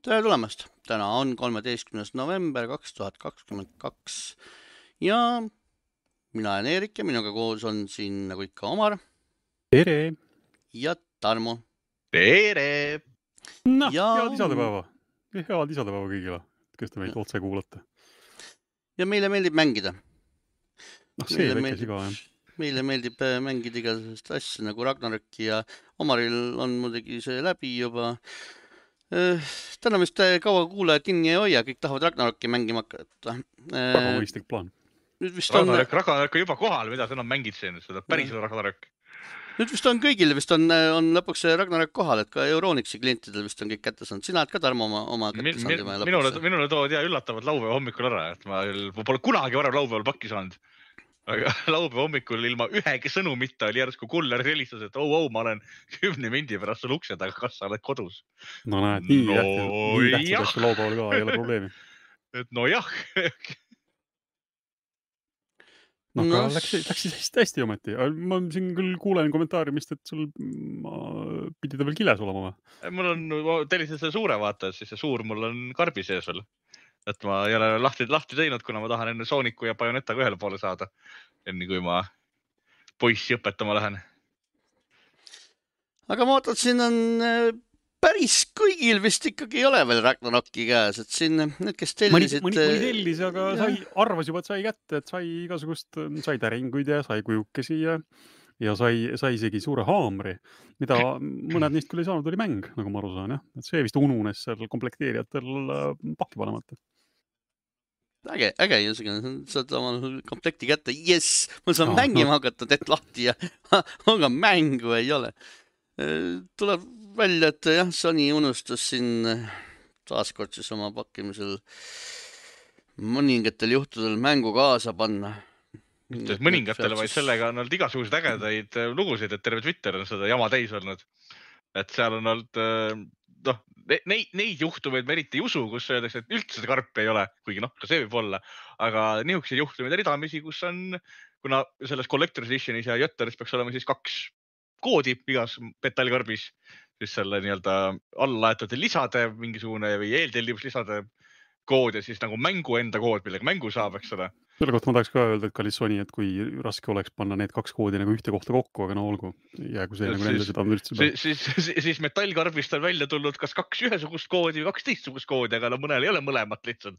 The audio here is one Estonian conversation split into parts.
Tere tulemast! Täna on 13. november 2022 ja mina olen Eerik ja minuga koos on siin nagu ikka Omar Tere! ja Tarmo. Tere! Noh, head isadepäeva. Head isadepäeva kõigile, kes te meid otse kuulate. Ja meile meeldib mängida. See väikes iga, jah. Meile meeldib mängida igasugust asja nagu Ragnaröki ja Omaril on muidugi see läbi juba. Täna vist kaua kuulajad kinni ei hoia, kõik tahavad Ragnaröki mängima hakata. Väga mõistlik plaan. Ragnarök on juba kohal, mida sa enam mängid siin, seda päris Ragnarök. Nüüd vist on kõigil, vist on lõpuks see Ragnarök kohal, et ka Euronixi klientidel vist on kõik kätte saanud. Sina oled ka, Tarmo, oma kätte saanud. Minule tood üllatavad laupäeva hommikul ära, et ma pole kunagi varem laupäeval pakki saanud. Aga laupäeva hommikul ilma ühegi sõnumita oli järsku kuller helistas, et ma olen 10 mindi pärast sul ukse taga, kas sa oled kodus? No näed, nii tähtsad asju laupäeval ka, ei ole probleemi. Et nojah. Aga läks hästi ometi. Ma siin küll kuulen kommentaarimist, et sul pidi ta veel kiles olema. Mul on tellisin selle suure vaata, siis see suur mul on karbi sees veel. Et ma ei ole lahti teinud, kuna ma tahan enne Sooniku ja Bajonettaga ühele poole saada. Enne kui ma poissi õpetama lähen. Aga ma ootan, siin on päris kõigil vist ikkagi ei ole veel Ragnaröki käes, et siin need, kes tellisid... Mõni tellis, aga arvas juba, et sai kätte, et sai igasugust, sai täringuid ja sai kujukesi ja sai isegi suure haamri, mida mõned neist küll ei saanud, oli mäng, nagu ma aru saan, jah. Et see vist ununes seal komplekteerijatel pakki panemata. Äge, saad oma komplekti kätte, ma saan mängima hakata, teed lahti ja aga mängu ei ole. Tuleb välja, et jah, Sony unustas siin taaskord siis oma pakkimisel mõningatel juhtudel mängu kaasa panna. Mõningatele, vaid sellega on olnud igasugused ägedaid lugusid, et terve Twitter on seda jama täis olnud. Et seal on olnud... Neid juhtumeid me eriti ei usu, kus öeldakse, et üldse seda karpi ei ole, kuigi ka see võib olla, aga niisugused juhtumeid ridamisi, kus on, kuna selles Collector's Editionis ja Jötteris peaks olema siis 2 koodi igas metallkarbis, siis selle nii-öelda allalaetud lisade mingisugune või eeltellimuslisade kood ja siis nagu mängu enda kood, millega mängu saab, eks ole. Selle kohta ma tahaks ka öelda, et kallis Sony, et kui raske oleks panna need 2 koodi nagu ühte kohta kokku, aga olgu, jäägu see nagu nende seda üldse. Siis metallkarbist on välja tulnud kas 2 ühesugust koodi või 2 teistsugust koodi, aga mõnel ei ole mõlemat lihtsalt.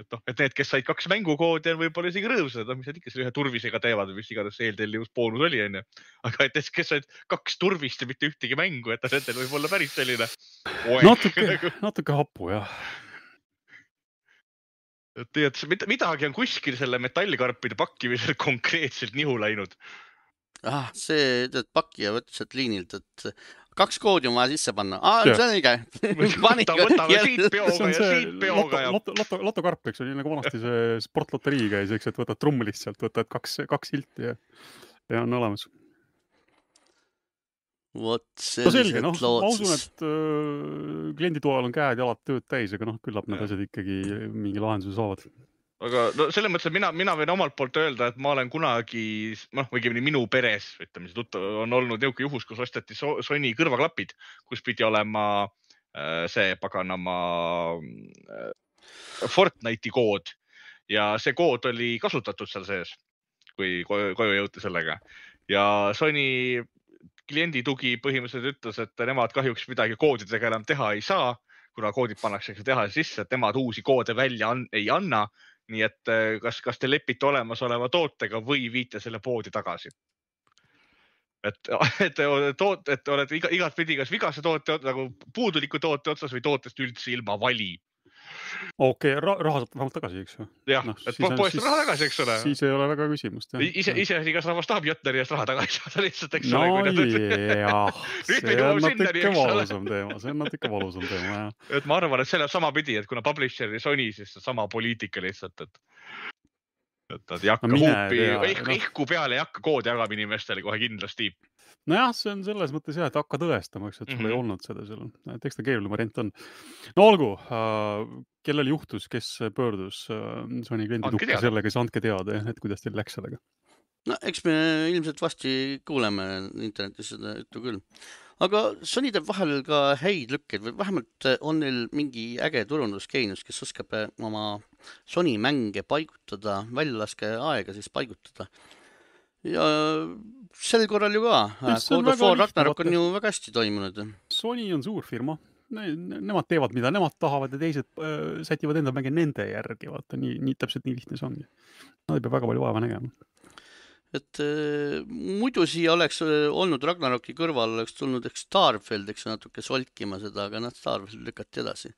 Et need, kes said 2 mängukoodi, on võib-olla isegi rõõmsad, mis nad ikka selle ühe turvisega teevad või mis iganes eeltellivus boonus oli, on ju. Aga et kes said 2 turvist ja mitte ühtegi mängu, et nendel võib olla päris selline... Natuke hapu, jah. Et midagi on kuskil selle metallkarpide pakkimisel konkreetselt nihu läinud. See pakija võttis sealt liinilt, et 2 koodi on vaja sisse panna. See on õige. Võtame siit peoga ja siit peoga. Lotokarp, eks oli nagu vanasti see sportloterii käis, eks, et võtad trummilist sealt, võtad 2 hilti ja on olemas. Vot sellised lootsus. Ma usun, et klienditoal on käed ja alad tööd täis, aga küllap need asjad ikkagi mingi lahenduse saavad. Aga selles mõttes, et mina võin omalt poolt öelda, et ma olen kunagi, või minu peres, ütleme, on olnud niuke juhus, kus osteti Sony kõrvaklapid, kus pidi olema see paganama Fortnite'i kood ja see kood oli kasutatud seal sees, kui koju jõuti sellega. Ja Sony kliendi tugi põhimõtteliselt ütles, et nemad kahjuks midagi koodidega enam teha ei saa, kuna koodid pannakse teha sisse, et nemad uusi koode välja ei anna. Nii et kas te lepite olemasoleva tootega või viite selle poodi tagasi. Et oled igat pidi kas vigase toote, nagu puuduliku toote otsas või tootest üldse ilma vali. Okei, raha saab vähemalt tagasi, eks ju? Jah, et poest raha tagasi, eks ole. Siis ei ole väga küsimust. Ise kas rahvas tahab Jötteri eest raha tagasi saada lihtsalt, eks ole. Jah, see on natuke valusam teema, jah. Et ma arvan, et selle sama pidi, et kuna publisher ja Sony, siis sama poliitika lihtsalt, et nad ei hakka huupi, ehku peale ei hakka koodi jagama inimestele kohe kindlasti. Nojah, see on selles mõttes jah, et hakka tõestama, et sul ei olnud seda seal. Eks ta keeruline variant on. No olgu, kellel juhtus, kes pöördus Sony kliendi tukka sellega, siis andke teada, et kuidas teil läks sellega. No eks me ilmselt vasti kuuleme internetis seda juttu küll. Aga Sony teeb vahel ka häid lükkeid või vähemalt on neil mingi äge turundusgeenus, kes oskab oma Sony mänge paigutada, väljalaske aega siis paigutada. Ja sel korral ju ka. God of War Ragnarok on ju väga hästi toimunud. Sony on suur firma. Nemad teevad, mida nemad tahavad ja teised sätivad enda mänge nende järgi. Vaata, nii täpselt nii lihtne see ongi. Nad ei pea väga palju vaeva nägema. Et muidu siia oleks olnud Ragnaroki kõrval, oleks tulnud Starfield, eks natuke solkima seda, aga Starfield lükati edasi.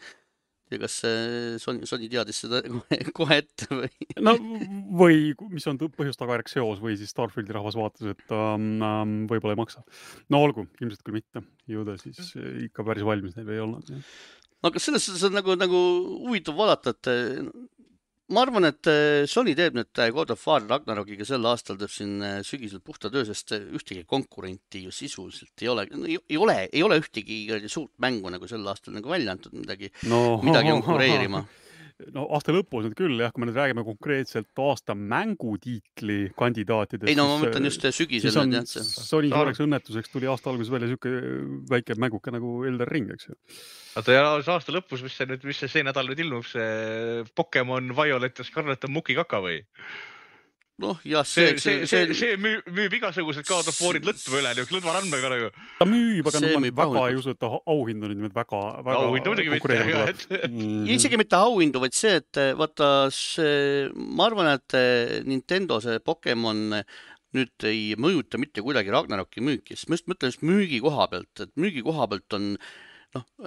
Ja kas Sony teadis seda kohe ette või? No või mis on põhjus tagajärg seos või siis Starfieldi rahvas vaatas, et võib-olla ei maksa. No olgu, ilmselt küll mitte. Ju ta siis ikka päris valmis neil ei olnud. Ja. Aga selles on nagu huvitav vaadata, et ma arvan, et Sony teeb nüüd God of War Ragnarokiga sel aastal teeb siin sügisel puhta töö, sest ühtegi konkurenti ju sisuliselt ei ole ühtegi suurt mängu nagu sel aastal nagu välja antud midagi konkureerima. No aasta lõpus nüüd küll, jah, kui me nüüd räägime konkreetselt aasta mängutiitli kandidaatidest. Ei, no ma mõtlen just sügisel. Sony suureks õnnetuseks tuli aasta alguses välja siuke väike mänguke nagu Elden Ring, eks ju. Oota, ja aasta lõpus, mis see nädal nüüd ilmub, see Pokemon Violet ja Scarlet on mukikaka või? Noh, jah, see müüb igasugused God of Warid lõtva üle, lõdva randmega nagu. Ta müüb, aga väga ei usu, et ta auhindu nüüd väga auhindu muidugi mitte. Isegi mitte auhindu, vaid see, et vaata, ma arvan, et Nintendo see Pokemon nüüd ei mõjuta mitte kuidagi Ragnaroki müüki, sest ma just mõtlen just müügi koha pealt, et müügi koha pealt on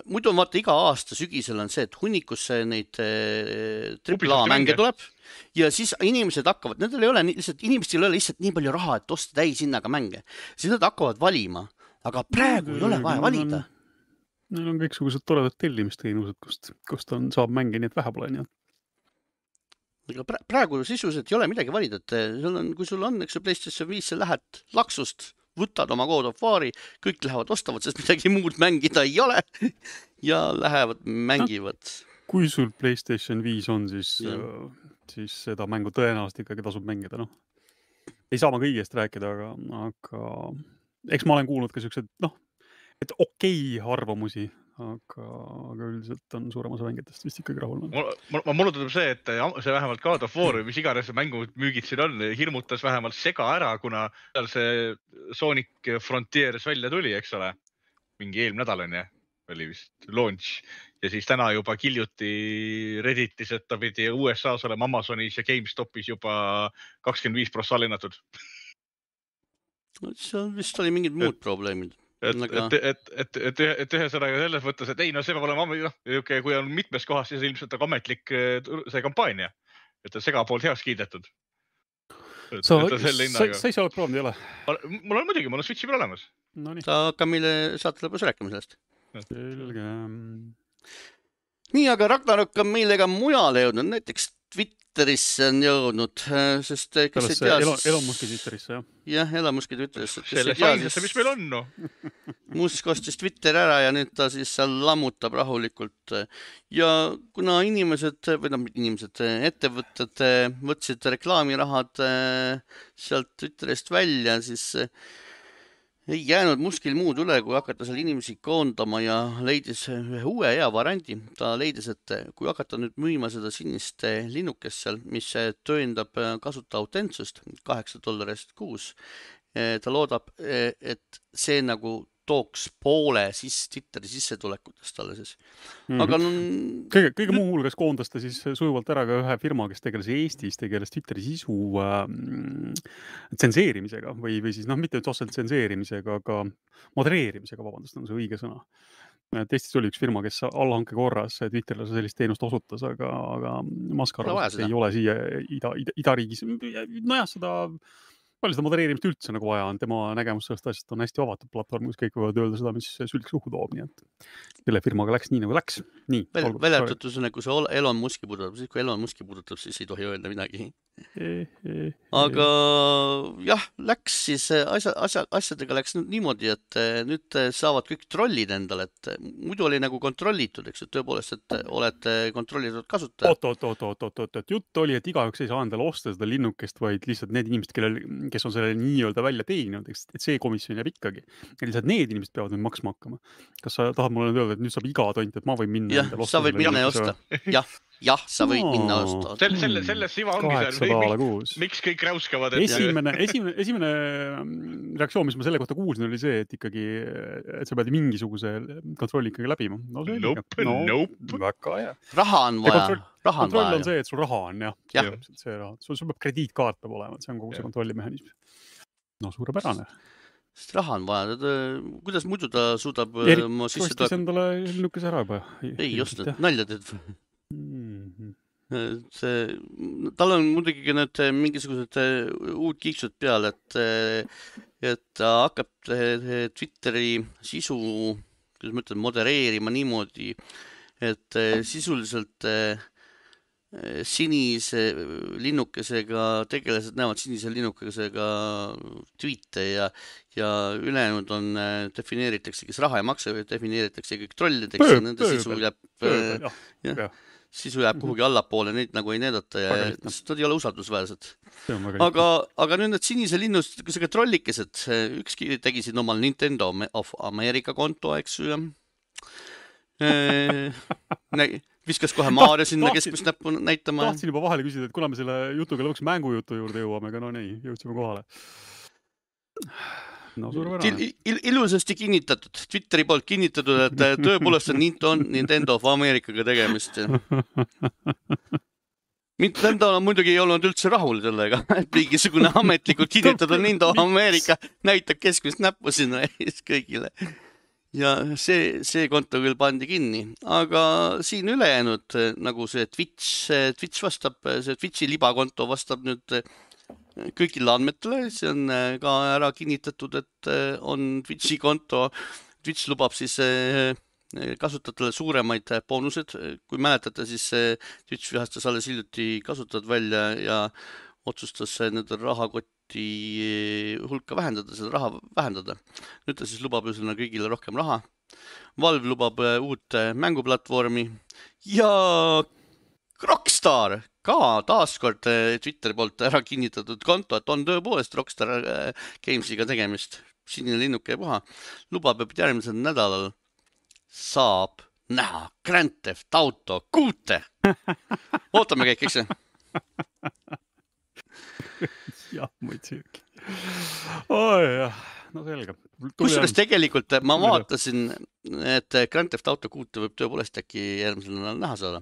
muidu on vaata iga aasta sügisel on see, et hunnikusse neid AAA mänge tuleb ja siis inimesed hakkavad, inimestel ei ole lihtsalt nii palju raha, et osta täishinnaga mänge. Siis nad hakkavad valima, aga praegu ei ole vaja valida. Neil on kõiksugused toredad tellimisteenused, kust saab mänge, nii et vähe pole nii. Aga praegu sisuliselt ei ole midagi valida, et kui sul on, eks PlayStation 5, lähed laksust, võtad oma God of War'i, kõik lähevad ostavad, sest midagi muud mängida ei ole ja lähevad mängivad. Kui sul PlayStation 5 on, siis seda mängu tõenäoliselt ikkagi tasub mängida. No. Ei saa ma kõigest rääkida, aga eks ma olen kuulnud ka siuksed, et okei arvamusi, aga üldiselt on suurem osa mängidest vist ikkagi rahul. Mulle tundub see, et see vähemalt God of War, mis iganes mängud müügid siin on, hirmutas vähemalt sega ära, kuna seal see Sonic Frontiers välja tuli, eks ole. Mingi eelmine nädal on, oli vist launch. Ja siis täna juba kiljuti Redditis, et ta pidi USAs olema Amazonis ja GameStopis juba 25% linnatud. See vist oli mingid muud probleemid. Et ühesõnaga selles mõttes, et ei, see peab olema, kui on mitmes kohas, siis ilmselt on ametlik see kampaania, et on segapoolt heaks kiidetud. Sa ise oled proovinud, ei ole? Mul on muidugi, mul on Switchi peal olemas. Ta hakkab meile saate lõpus rääkima sellest. Selge. Nii, aga Ragnarok on meile ka mujale jõudnud, näiteks Twitterisse on jõudnud, sest kes ei tea... Elon Muski Twitterisse, jah? Jah, Elon Muski Twitterisse. Selle sainesse, mis meil on, no? Musk ostis Twitter ära ja nüüd ta siis seal lammutab rahulikult. Ja kuna ettevõtted võtsid reklaamirahad sealt Twitterist välja, siis ei jäänud Muskil muud üle, kui hakata seal inimesi koondama ja leidis ühe uue hea variandi. Ta leidis, et kui hakata nüüd müüma seda sinist linnukest seal, mis tõendab kasuta autentsust $8 kuus, ta loodab, et see nagu tooks poole Twitteri sissetulekutest talle siis. Aga kõige muu hulgas koondas ta siis sujuvalt ära ka ühe firma, kes tegeles Eestis, tegeles Twitteri sisu tsenseerimisega või siis mitte otseselt tsenseerimisega, aga modereerimisega, vabandust, on see õige sõna. Eestis oli üks firma, kes allhanke korras Twitterile sellist teenust osutas, aga Musk arvas, et ei ole siia idariigis. Nojah, palju seda modereerimist üldse nagu vaja on, tema nägemus sellest asjast on hästi avatud platvorm, kus kõik võivad öelda seda, mis sülg suhu toob, nii et selle firmaga läks nii nagu läks. Väljatud, kui see Elon Muski puudutab, siis kui Elon Muski puudutab, siis ei tohi öelda midagi. Aga jah, läks siis asjadega läks niimoodi, et nüüd saavad kõik trollid endale, et muidu oli nagu kontrollitud, eks, et tõepoolest, et olete kontrollitud kasutaja. Jutt oli, et igaüks ei saa endale osta seda linnukest, vaid lihtsalt need inimesed, kes on selle nii-öelda välja teeninud, et see komisjon jääb ikkagi. Ja lihtsalt need inimesed peavad nüüd maksma hakkama. Kas sa tahad mulle öelda, et nüüd saab iga tont, et ma võin minna jah, sa võid minna ja osta. Jah, sa võid minna osta. Selles siva ongi $8 miks kõik räuskavad. Esimene reaktsioon, mis ma selle kohta kuulsin, oli see, et ikkagi, et sa pead mingisuguse kontrolli ikkagi läbima. Nope. Väga hea. Raha on vaja. Kontroll on see, et sul raha on, jah. See raha. Sul peab krediitkaart peab olema, see on kogu see kontrollimehhanism. No suurepärane. Sest raha on vaja. Kuidas muidu ta suudab ostis endale linnukese ära juba. Ei ostnud, nalja teed. Tal on muidugi need mingisugused uud kiiksud peal, et ta hakkab Twitteri sisu, kuidas ma ütlen, modereerima niimoodi, et sisuliselt sinise linnukesega tegelased näevad sinise linnukesega tweete ja ülejäänud on defineeritakse, kes raha ei maksa, defineeritakse kõik trollideks ja nende sisu jääb kuhugi allapoole, neid nagu ei näidata ja nad ei ole usaldusväärsed. Aga nüüd need sinise linnustusega trollikesed, ükski tegi siin omal Nintendo of America konto, eks ju, viskas kohe Maarja sinna keskmist näppu näitama. Tahtsin juba vahele küsida, et kuna me selle jutuga lõpuks mängujutu juurde jõuame, aga no nii, jõudsime kohale. No suurepärane. Ilusasti kinnitatud, Twitteri poolt kinnitatud, et tõepoolest on Nintendo of Americaga tegemist. Nintendo muidugi ei olnud üldse rahul sellega, et mingisugune ametlikult kinnitatud Nintendo of America näitab keskmist näppu sinna kõigile. Ja see konto küll pandi kinni, aga siin ülejäänud nagu see Twitch vastab, see Twitchi libakonto vastab nüüd kõigile andmetele, see on ka ära kinnitatud, et on Twitchi konto. Twitch lubab siis kasutajatele suuremaid boonused. Kui mäletate, siis Twitch vihastas alles hiljuti kasutajad välja ja otsustas nende rahakoti hulka vähendada, seda raha vähendada. Nüüd ta siis lubab üsna kõigile rohkem raha. Valve lubab uut mänguplatvormi ja Rockstar ka taaskord Twitteri poolt ära kinnitatud konto, et on tõepoolest Rockstar Gamesiga tegemist. Sinine linnuke ja puha. Lubab, et järgmisel nädalal saab näha Grand Theft Auto 6. Ootame kõik, eks see? Jah, muidugi. Oi, jah. No selge. Kusjuures tegelikult ma vaatasin, et Grand Theft Auto 6 võib tõepoolest äkki järgmisel nädalal näha saada.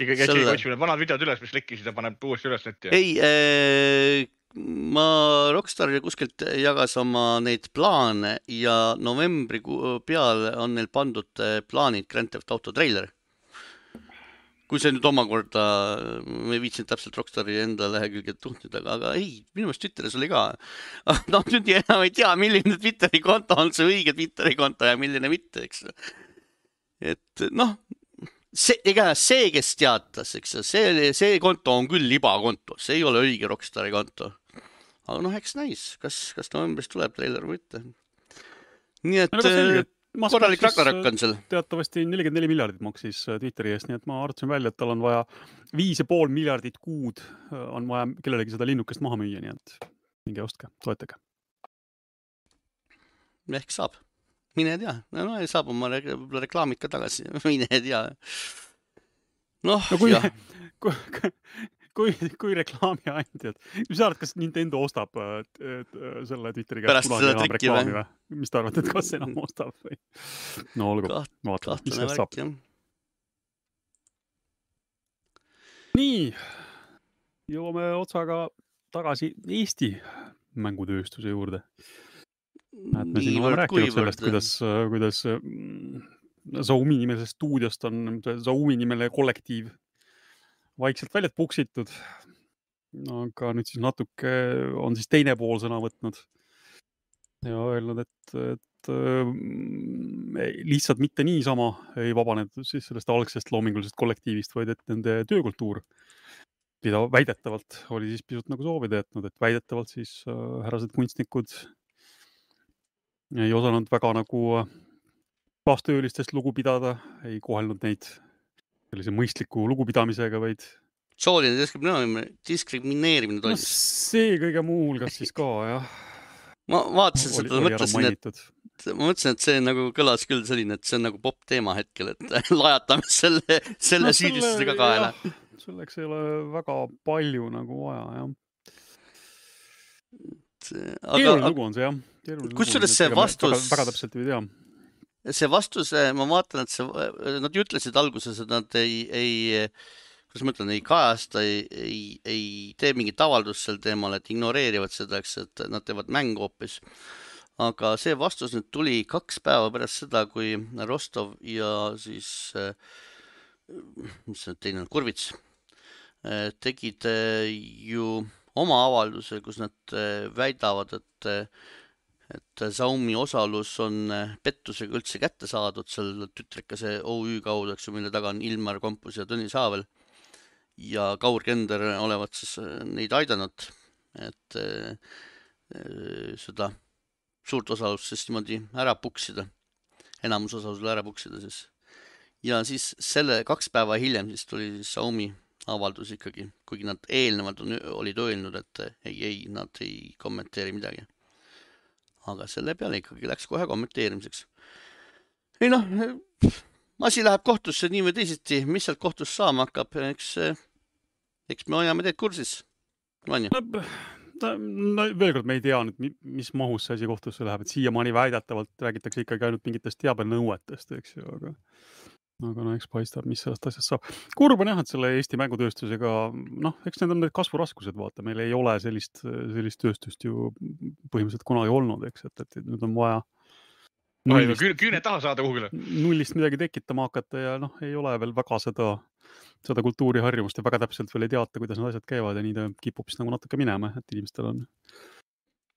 Ikka käsi otsime vanad videod üles, mis lekkisid ja paneb uuesti üles netti. Ei, Rockstar kuskilt jagas oma neid plaane ja novembri peal on neil pandud plaanid Grand Theft Auto trailer. Kui see nüüd omakorda, me viitsin täpselt Rockstari enda lehekülged tuhtida, aga ei, minu meelest Twitteris oli ka. No nüüd enam ei tea, milline Twitteri konto on see õige Twitteri konto ja milline mitte, eks. Et noh, see, kes teatas, eks, see konto on küll libakonto, see ei ole õige Rockstari konto. Aga noh, eks näis, kas novembris tuleb trailer või mitte. Nii et korralik Ragnarök on seal. Teatavasti 44 miljardit maksis Twitteri eest, nii et ma arvasin välja, et tal on vaja 5,5 miljardit kuud on vaja kellelegi seda linnukest maha müüa, nii et minge ostke, toetage. Ehk saab. Mine tea. No saab oma reklaamid ka tagasi. Mine tea. Noh, jah. Kui reklaami andjad, mis sa arvad, kas Nintendo ostab selle Twitteri käest kunagi enam reklaami või? Mis ta arvad, et kas enam ostab või? No olgu, vaatame, mis sellest saab. Nii, jõuame otsaga tagasi Eesti mängutööstuse juurde. Me siin oleme rääkinud sellest, kuidas Xiaomi nimelisest stuudiost on Xiaomi nimeline kollektiiv vaikselt väljad puksitud, aga nüüd siis natuke on siis teine pool sõna võtnud ja öelnud, et lihtsalt mitte niisama ei vabanenud siis sellest algsest loomingulisest kollektiivist, vaid et nende töökultuur, mida väidetavalt oli siis pisut nagu soovida jätnud, et väidetavalt siis härrased kunstnikud ei osanud väga nagu kaastöölistest lugu pidada, ei kohelnud neid sellise mõistliku lugupidamisega, vaid sooline diskrimineerimine no toimus. see kõige muu hulgas siis ka, jah. Ma vaatasin seda, mõtlesin, et see nagu kõlas küll selline, et see on nagu pop teema hetkel, et lajatame selle süüdistusega kaela. Selleks ei ole väga palju nagu vaja, jah. Keeruline lugu on see, jah. Kusjuures see vastus... Väga täpselt ei tea. See vastus, ma vaatan, et nad ütlesid alguses, et nad kuidas ma ütlen, ei kajasta, ei tee mingit avaldust sel teemal, et ignoreerivad seda, et nad teevad mängu hoopis. Aga see vastus nüüd tuli 2 päeva pärast seda, kui Rostov ja siis, mis see teine on, Kurvits, tegid ju oma avalduse, kus nad väidavad, et Xiaomi osalus on pettusega üldse kätte saadud seal tütrikase OÜ kaudu, eks ju, mille taga on Ilmar Kompus ja Tõnis Haavel ja Kaur Kender olevat siis neid aidanud, et seda suurt osalust siis niimoodi ära puksida, enamus osalusele ära puksida siis. Ja siis selle 2 päeva hiljem siis tuli siis Xiaomi avaldus ikkagi, kuigi nad eelnevalt olid öelnud, et ei, nad ei kommenteeri midagi. Aga selle peale ikkagi läks kohe kommenteerimiseks. Ei noh, asi läheb kohtusse nii või teisiti, mis sealt kohtus saama hakkab, eks me hoiame teid kursis. No, veel kord me ei tea nüüd, mis mahus see asi kohtusse läheb, et siiamaani väidetavalt räägitakse ikkagi ainult mingitest teabenõuetest, eks ju, aga no eks paistab, mis sellest asjast saab. Kurb on jah, et selle Eesti mängutööstusega, noh, eks need on need kasvuraskused, vaata, meil ei ole sellist tööstust ju põhimõtteliselt kunagi olnud, eks, et nüüd on vaja küüne taha saada kuhugile. Nullist midagi tekitama hakata ja noh, ei ole veel väga seda kultuuriharjumust ja väga täpselt veel ei teata, kuidas need asjad käivad ja nii ta kipub siis nagu natuke minema, et inimestel on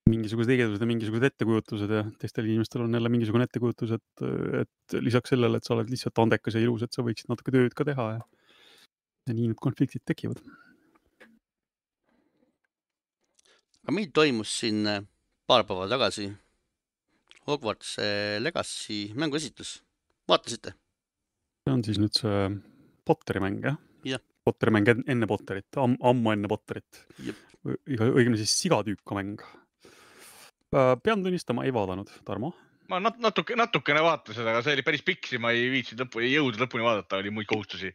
mingisugused tegevused ja mingisugused ettekujutused ja teistel inimestel on jälle mingisugune ettekujutus, et lisaks sellele, et sa oled lihtsalt andekas ja ilus, et sa võiksid natuke tööd ka teha ja nii need konfliktid tekivad. Aga meil toimus siin paar päeva tagasi Hogwarts Legacy mänguesitlus. Vaatasite? See on siis nüüd see Potteri mäng, jah? Jah. Potteri mäng enne Potterit, ammu enne Potterit. Õigemini siis sigatüüka mäng. Pean tunnistama, ei vaadanud, Tarmo? Ma natukene vaatasin, aga see oli päris piksi, ma ei viitsid jõuda lõpuni vaadata, oli muid kohustusi.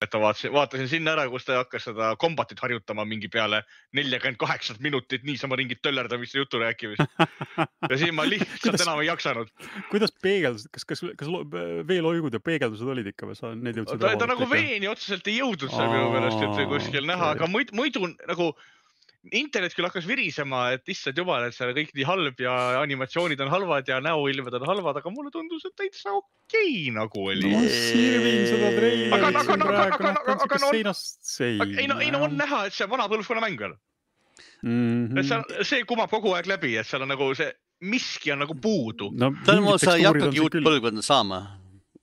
Et vaatasin sinna ära, kus ta hakkas seda kombatit harjutama mingi peale 48 minutit niisama ringit töllerdamist ja jutu rääkimist. Ja siin ma lihtsalt enam ei jaksanud. Kuidas peegeldused, kas veeloigud ja peegeldused olid ikka või sa need jõudsid? Ta nagu veeni otseselt ei jõudnud seal minu meelest, et kuskil näha, aga muidu nagu internet küll hakkas virisema, et issand jumal, et seal kõik nii halb ja animatsioonid on halvad ja näoilmed on halvad, aga mulle tundus, et täitsa okei nagu oli. No sirvin seda treilerit siin praegu nähtan seinast sein. Ei no on näha, et see vana põlvkonna mäng veel. See kumab kogu aeg läbi, et seal on nagu see miski on nagu puudu. Tõlmo, sa ei hakkagi uut põlvkonda saama.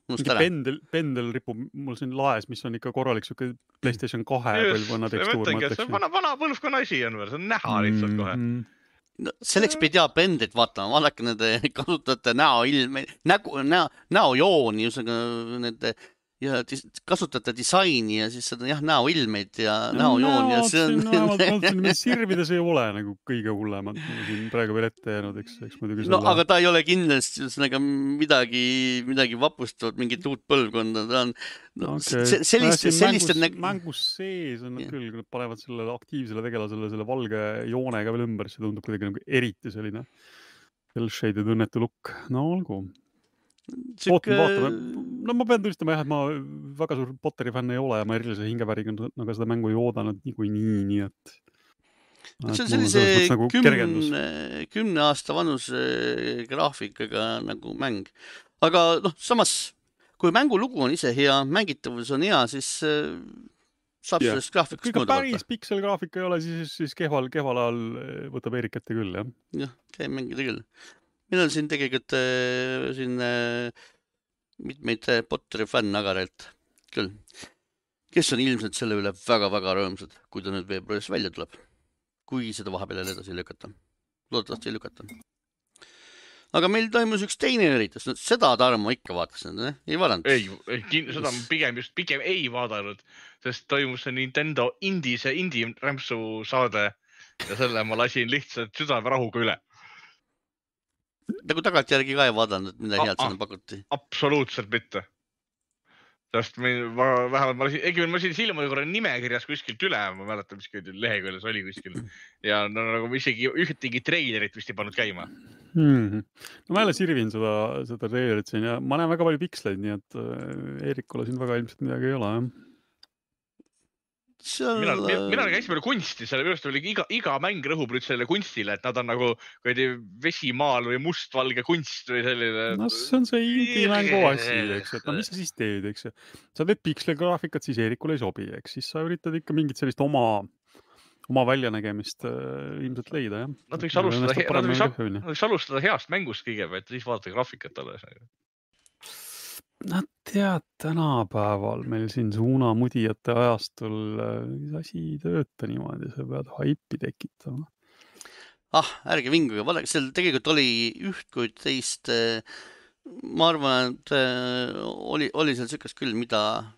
Pendel ripub mul siin laes, mis on ikka korralik siuke PlayStation 2 põlvkonna tekstuur. Vana põlvkonna asi on veel, see on näha lihtsalt kohe. No, selleks peid pendlit vaatama, vaadake nende kasutajate näojooni, nende ja kasutate disaini ja siis seda näoilmeid ja näojooni ja see on... Sirvides ei ole nagu kõige hullemad siin praegu veel ette jäänud, eks muidugi no aga ta ei ole kindlasti midagi vapustavat, mingit uut põlvkonda, ta on sellist mängus sees on nad küll, kui nad panevad sellele aktiivsele tegelasele selle valge joonega veel ümber, see tundub kuidagi nagu eriti selline shaded õnnetu lukk, no olgu vaatame. No ma pean tunnistama jah, et ma väga suur Potteri fänn ei ole ja ma erilise hingeväriga nagu seda mängu ei oodanud nii et see on sellise 10 aasta vanus graafikaga nagu mäng. Aga samas, kui mängulugu on ise hea, mängitavus on hea, siis saab sellest graafikust mõõda võtta. Päris pikselgraafika ei ole, siis kehval ajal võtab Eerik ette küll, jah? Jah, käib mängida küll. Meil on siin tegelikult mitmeid Potteri fänn agarelt küll, kes on ilmselt selle üle väga-väga rõõmsad, kui ta nüüd veebruaris välja tuleb, kui seda vahepeal edasi lükata. Loodetavasti ei lükata. aga meil toimus üks teine üritus, seda Tarmo ikka vaatas, ei vaadanud? Seda pigem ei vaadanud, sest toimus see Nintendo Indie rämpsu saade ja selle ma lasin lihtsalt südame rahuga üle. Nagu tagantjärgi ka ei vaadanud, mida head sinna pakuti? Absoluutselt mitte. Sest vähemalt ma lasin silma korra nimekirjas kuskilt üle, ma mäletan, mis leheküljes oli kuskil. Ja nagu isegi ühtegi treilerit vist ei pannud käima. No ma jälle sirvin seda treilerit siin ja ma näen väga palju piksleid, nii et Eerikule siin väga ilmselt midagi ei ole, jah. Mina käisin palju kunsti, selle minu arust oli iga mäng rõhub nüüd sellele kunstile, et nad on nagu vesimaal või mustvalge kunst või selline. No see on see indie-mängu asi, eks, et mis sa siis teed, eks. Sa teed pikslegraafikat, siis Eerikule ei sobi, eks. Siis sa üritad ikka mingit sellist oma väljanägemist ilmselt leida, jah. Nad võiks alustada heast mängust kõigepealt, siis vaadata graafikat alles. No tead, tänapäeval meil siin suunamudijate ajastul asi ei tööta niimoodi, sa pead haipi tekitama. Ärge vinguga, vaadake, seal tegelikult oli üht kui teist, ma arvan, et oli seal sükast küll, mida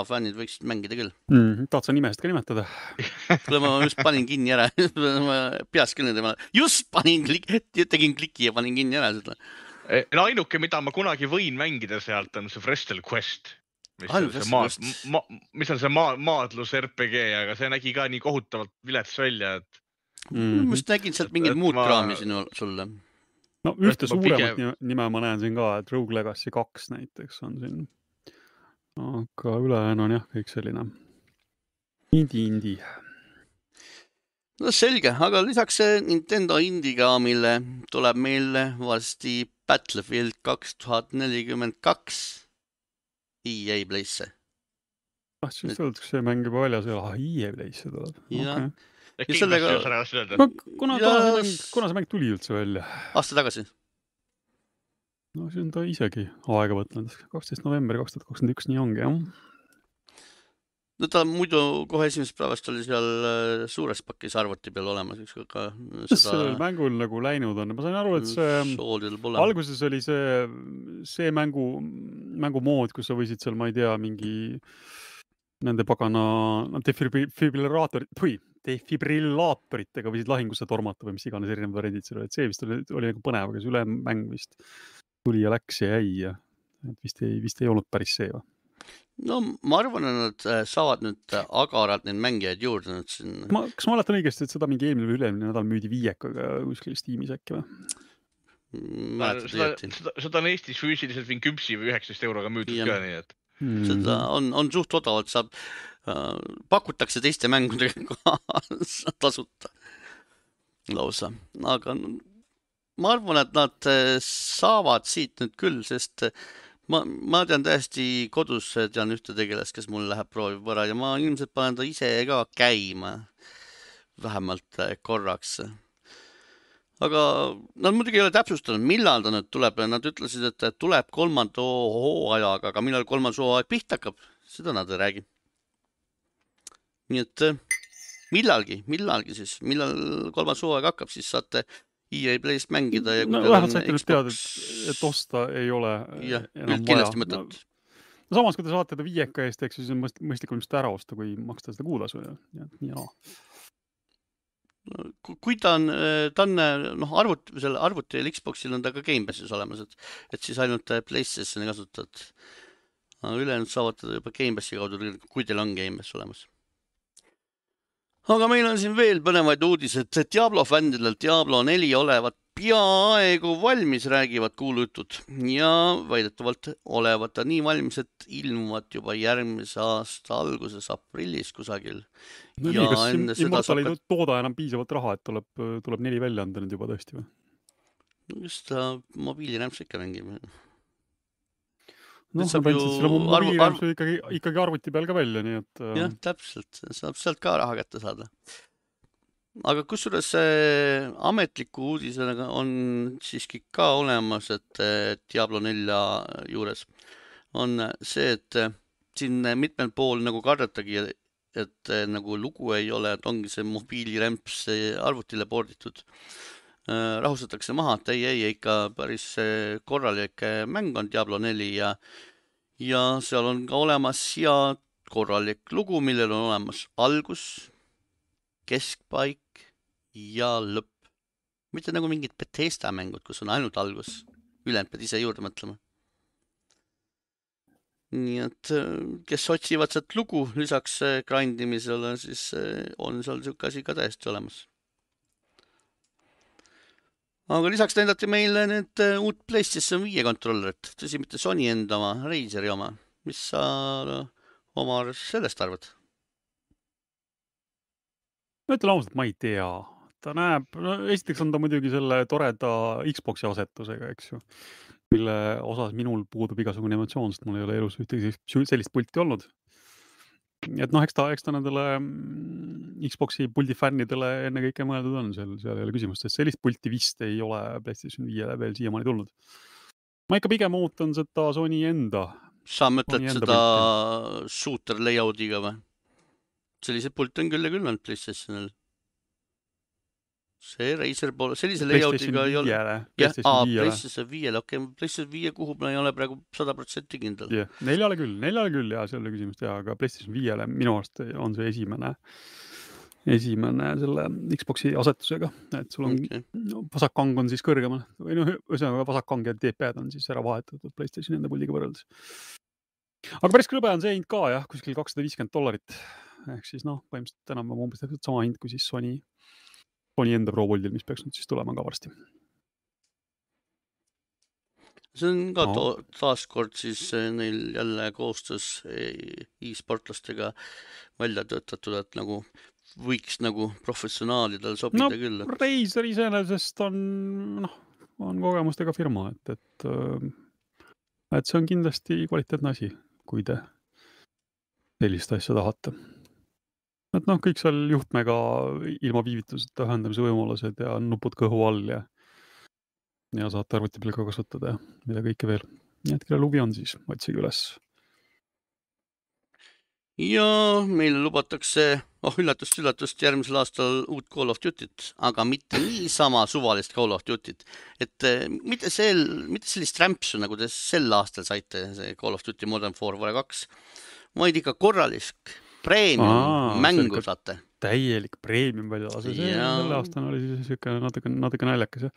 fännid võiksid mängida küll. Tahad sa nimest ka nimetada? Kuule, ma just panin kinni ära, peas küll just tegin kliki ja panin kinni ära seda. Ainuke, mida ma kunagi võin mängida sealt, on see Wrestle Quest, mis on see maadlus RPG, aga see nägi ka nii kohutavalt vilets välja, et... Ma just nägin sealt mingid muud kraami sulle. No ühte suuremat nime ma näen siin ka, et Rogue Legacy 2 näiteks on siin. Aga ülejäänu on jah, kõik selline indie. No selge, aga lisaks Nintendo Indiga, mille tuleb meile varsti Battlefield 2042 EA Playsse. Siis öeldakse, see mäng juba väljas ei ole, EA Playsse tuleb. Kuna see mäng tuli üldse välja? Aasta tagasi. No see on ta isegi aega võtnud. 12. november 2021, nii ongi, jah. No ta muidu kohe esimesest päevast oli seal suures pakis arvuti peal olemas. Mis sellel mängul nagu läinud on? Ma sain aru, et see alguses oli see mängu mood, kus sa võisid seal, ma ei tea, mingi nende pagana defibrillaatoritega võisid lahingusse tormata või mis iganes erinevad variandid seal olid. See vist oli nagu põnev, aga see üle mäng vist tuli ja läks ja jäi ja vist ei olnud päris see või? No ma arvan, et nad saavad nüüd agaralt neid mängijaid juurde. Kas ma mäletan õigesti, et seda mingi eelmine või ülemine nädal müüdi 5-ga kuskil Steamis äkki või? Seda on Eestis füüsiliselt 10 või 19 euroga müüdud ka, nii et... Seda on suht odavalt, pakutakse teiste mängudega tasuta lausa. Aga ma arvan, et nad saavad siit nüüd küll, sest ma tean täiesti kodus, tean ühte tegelast, kes mul läheb proovib ära ja ma ilmselt panen ta ise ka käima vähemalt korraks. Aga nad muidugi ei ole täpsustanud, millal ta nüüd tuleb. Nad ütlesid, et tuleb 3. hooajaga, aga millal 3. hooaeg pihta hakkab, seda nad ei räägi. Nii et millalgi siis, millal 3. hooaeg hakkab, siis saate EA Playst mängida. Ja vähemalt saite nüüd teada, et osta ei ole enam vaja. Samas, kui te saate ta 5 eest, eks siis on mõistlikum just ära osta, kui maksta seda kuutasu. Kui ta on arvuti ja Xboxil on ta ka Game Passis olemas, et siis ainult PlayStationi kasutad. Ülejäänud saavad juba Game Passi kaudu, kui teil on Game Pass olemas. Aga meil on siin veel põnevaid uudised. Diablo fändidel Diablo 4 olevat peaaegu valmis, räägivad kuulujutud. Ja väidetavalt olevat ta nii valmis, et ilmuvad juba järgmise aasta alguses aprillis kusagil. No nii, kas Immortal ei tooda enam piisavalt raha, et tuleb 4 välja anda nüüd juba tõesti või? No just ta mobiilirämps ikka mängib. No, sa päntsid selle mobiilirämsu ikkagi arvuti peal ka välja, nii et... Jah, täpselt. Saab sealt ka raha kätte saada. Aga kusjuures ametliku uudisega on siiski ka olemas, et Diablo 4 juures on see, et siin mitmel pool nagu kardetagi, et nagu lugu ei ole, et ongi see mobiilirämps arvutile porditud. rahustatakse maha, et ei, ikka päris korralik mäng on Diablo 4 ja seal on ka olemas hea korralik lugu, millel on olemas algus, keskpaik ja lõpp. Mitte nagu mingid Bethesda mängud, kus on ainult algus. Ülejäänud pead ise juurde mõtlema. Nii et kes otsivad sealt lugu lisaks grindimisele, siis on seal siuke asi ka täiesti olemas. Aga lisaks näidati meile need uut PlayStation 5 kontrollerit. Tõsi, mitte Sony enda oma, Razeri oma. Mis sa Omar sellest arvad? Ma ütlen ausalt, ma ei tea. Ta näeb, esiteks on ta muidugi selle toreda Xboxi asetusega, eks ju, mille osas minul puudub igasugune emotsioon, sest mul ei ole elus ühtegi sellist pulti olnud. Et eks ta nendele Xboxi puldi fännidele enne kõike mõeldud on, seal ei ole küsimust, sest sellist pulti vist ei ole PlayStation 5 veel siiamaani tulnud. Ma ikka pigem ootan seda Sony enda. Sa mõtled seda shooter layoutiga või? Sellised pult on küll ja küll on PlayStationil. See Razer poole, sellise layoutiga ei ole. PlayStation 5, okei, PlayStation 5 kuhu ma ei ole praegu 100% kindel. Yeah. Neljale küll ja seal oli küsimust aga PlayStation 5-le minu arust on see esimene selle Xboxi asetusega, et sul on vasakkang on siis kõrgemal või ühesõnaga vasakkang ja D-pad on siis ära vahetatud PlayStation enda puldiga võrreldes. Aga päris krõbe on see hind ka jah, kuskil $250. Ehk siis põhimõtteliselt enam on umbes sama hind kui siis Sony enda Pro-Puldil, mis peaks nüüd siis tulema ka varsti. See on ka taaskord siis neil jälle koostöös e-sportlastega välja töötatud, et nagu võiks nagu professionaalidel sobida küll. Razer iseenesest on kogemustega firma, et see on kindlasti kvaliteetne asi, kui te sellist asja tahate. Et kõik seal juhtmega ilma viivituseta ühendamise võimalused ja nupud kõhu all ja saate arvuti peal ka kasutada ja mida kõike veel. Nii et kelle lubi on siis, otsige üles. Ja meile lubatakse, üllatust järgmisel aastal uut Call of Duty't, aga mitte niisama suvalist Call of Duty't. Et mitte sellist rämpsu, nagu te sel aastal saite, see Call of Duty Modern Warfare 2, vaid ikka korralisk premium mängu saate. Täielik premium välja. Selle aastal oli siis natuke naljakas.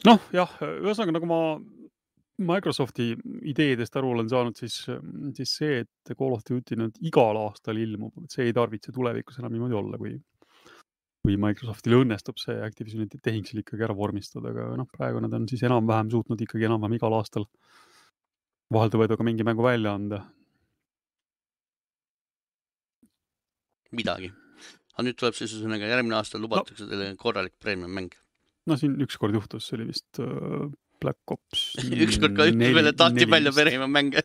Ühesõnaga, nagu ma Microsofti ideedest aru olen saanud, siis see, et Call of Duty nüüd igal aastal ilmub, see ei tarvitse tulevikus enam niimoodi olla, kui Microsoftil õnnestub see Activisioni tehing seal ikkagi ära vormistada, aga praegu nad on siis enam-vähem suutnud ikkagi enam-vähem igal aastal vahelda võedu ka mingi mängu välja anda. Midagi. Aga nüüd tuleb siis järgmine aasta lubatakse teile korralik premium mäng. Siin ükskord juhtus, see oli vist Black Ops. Ükskord ka veel tahti välja premium mänge.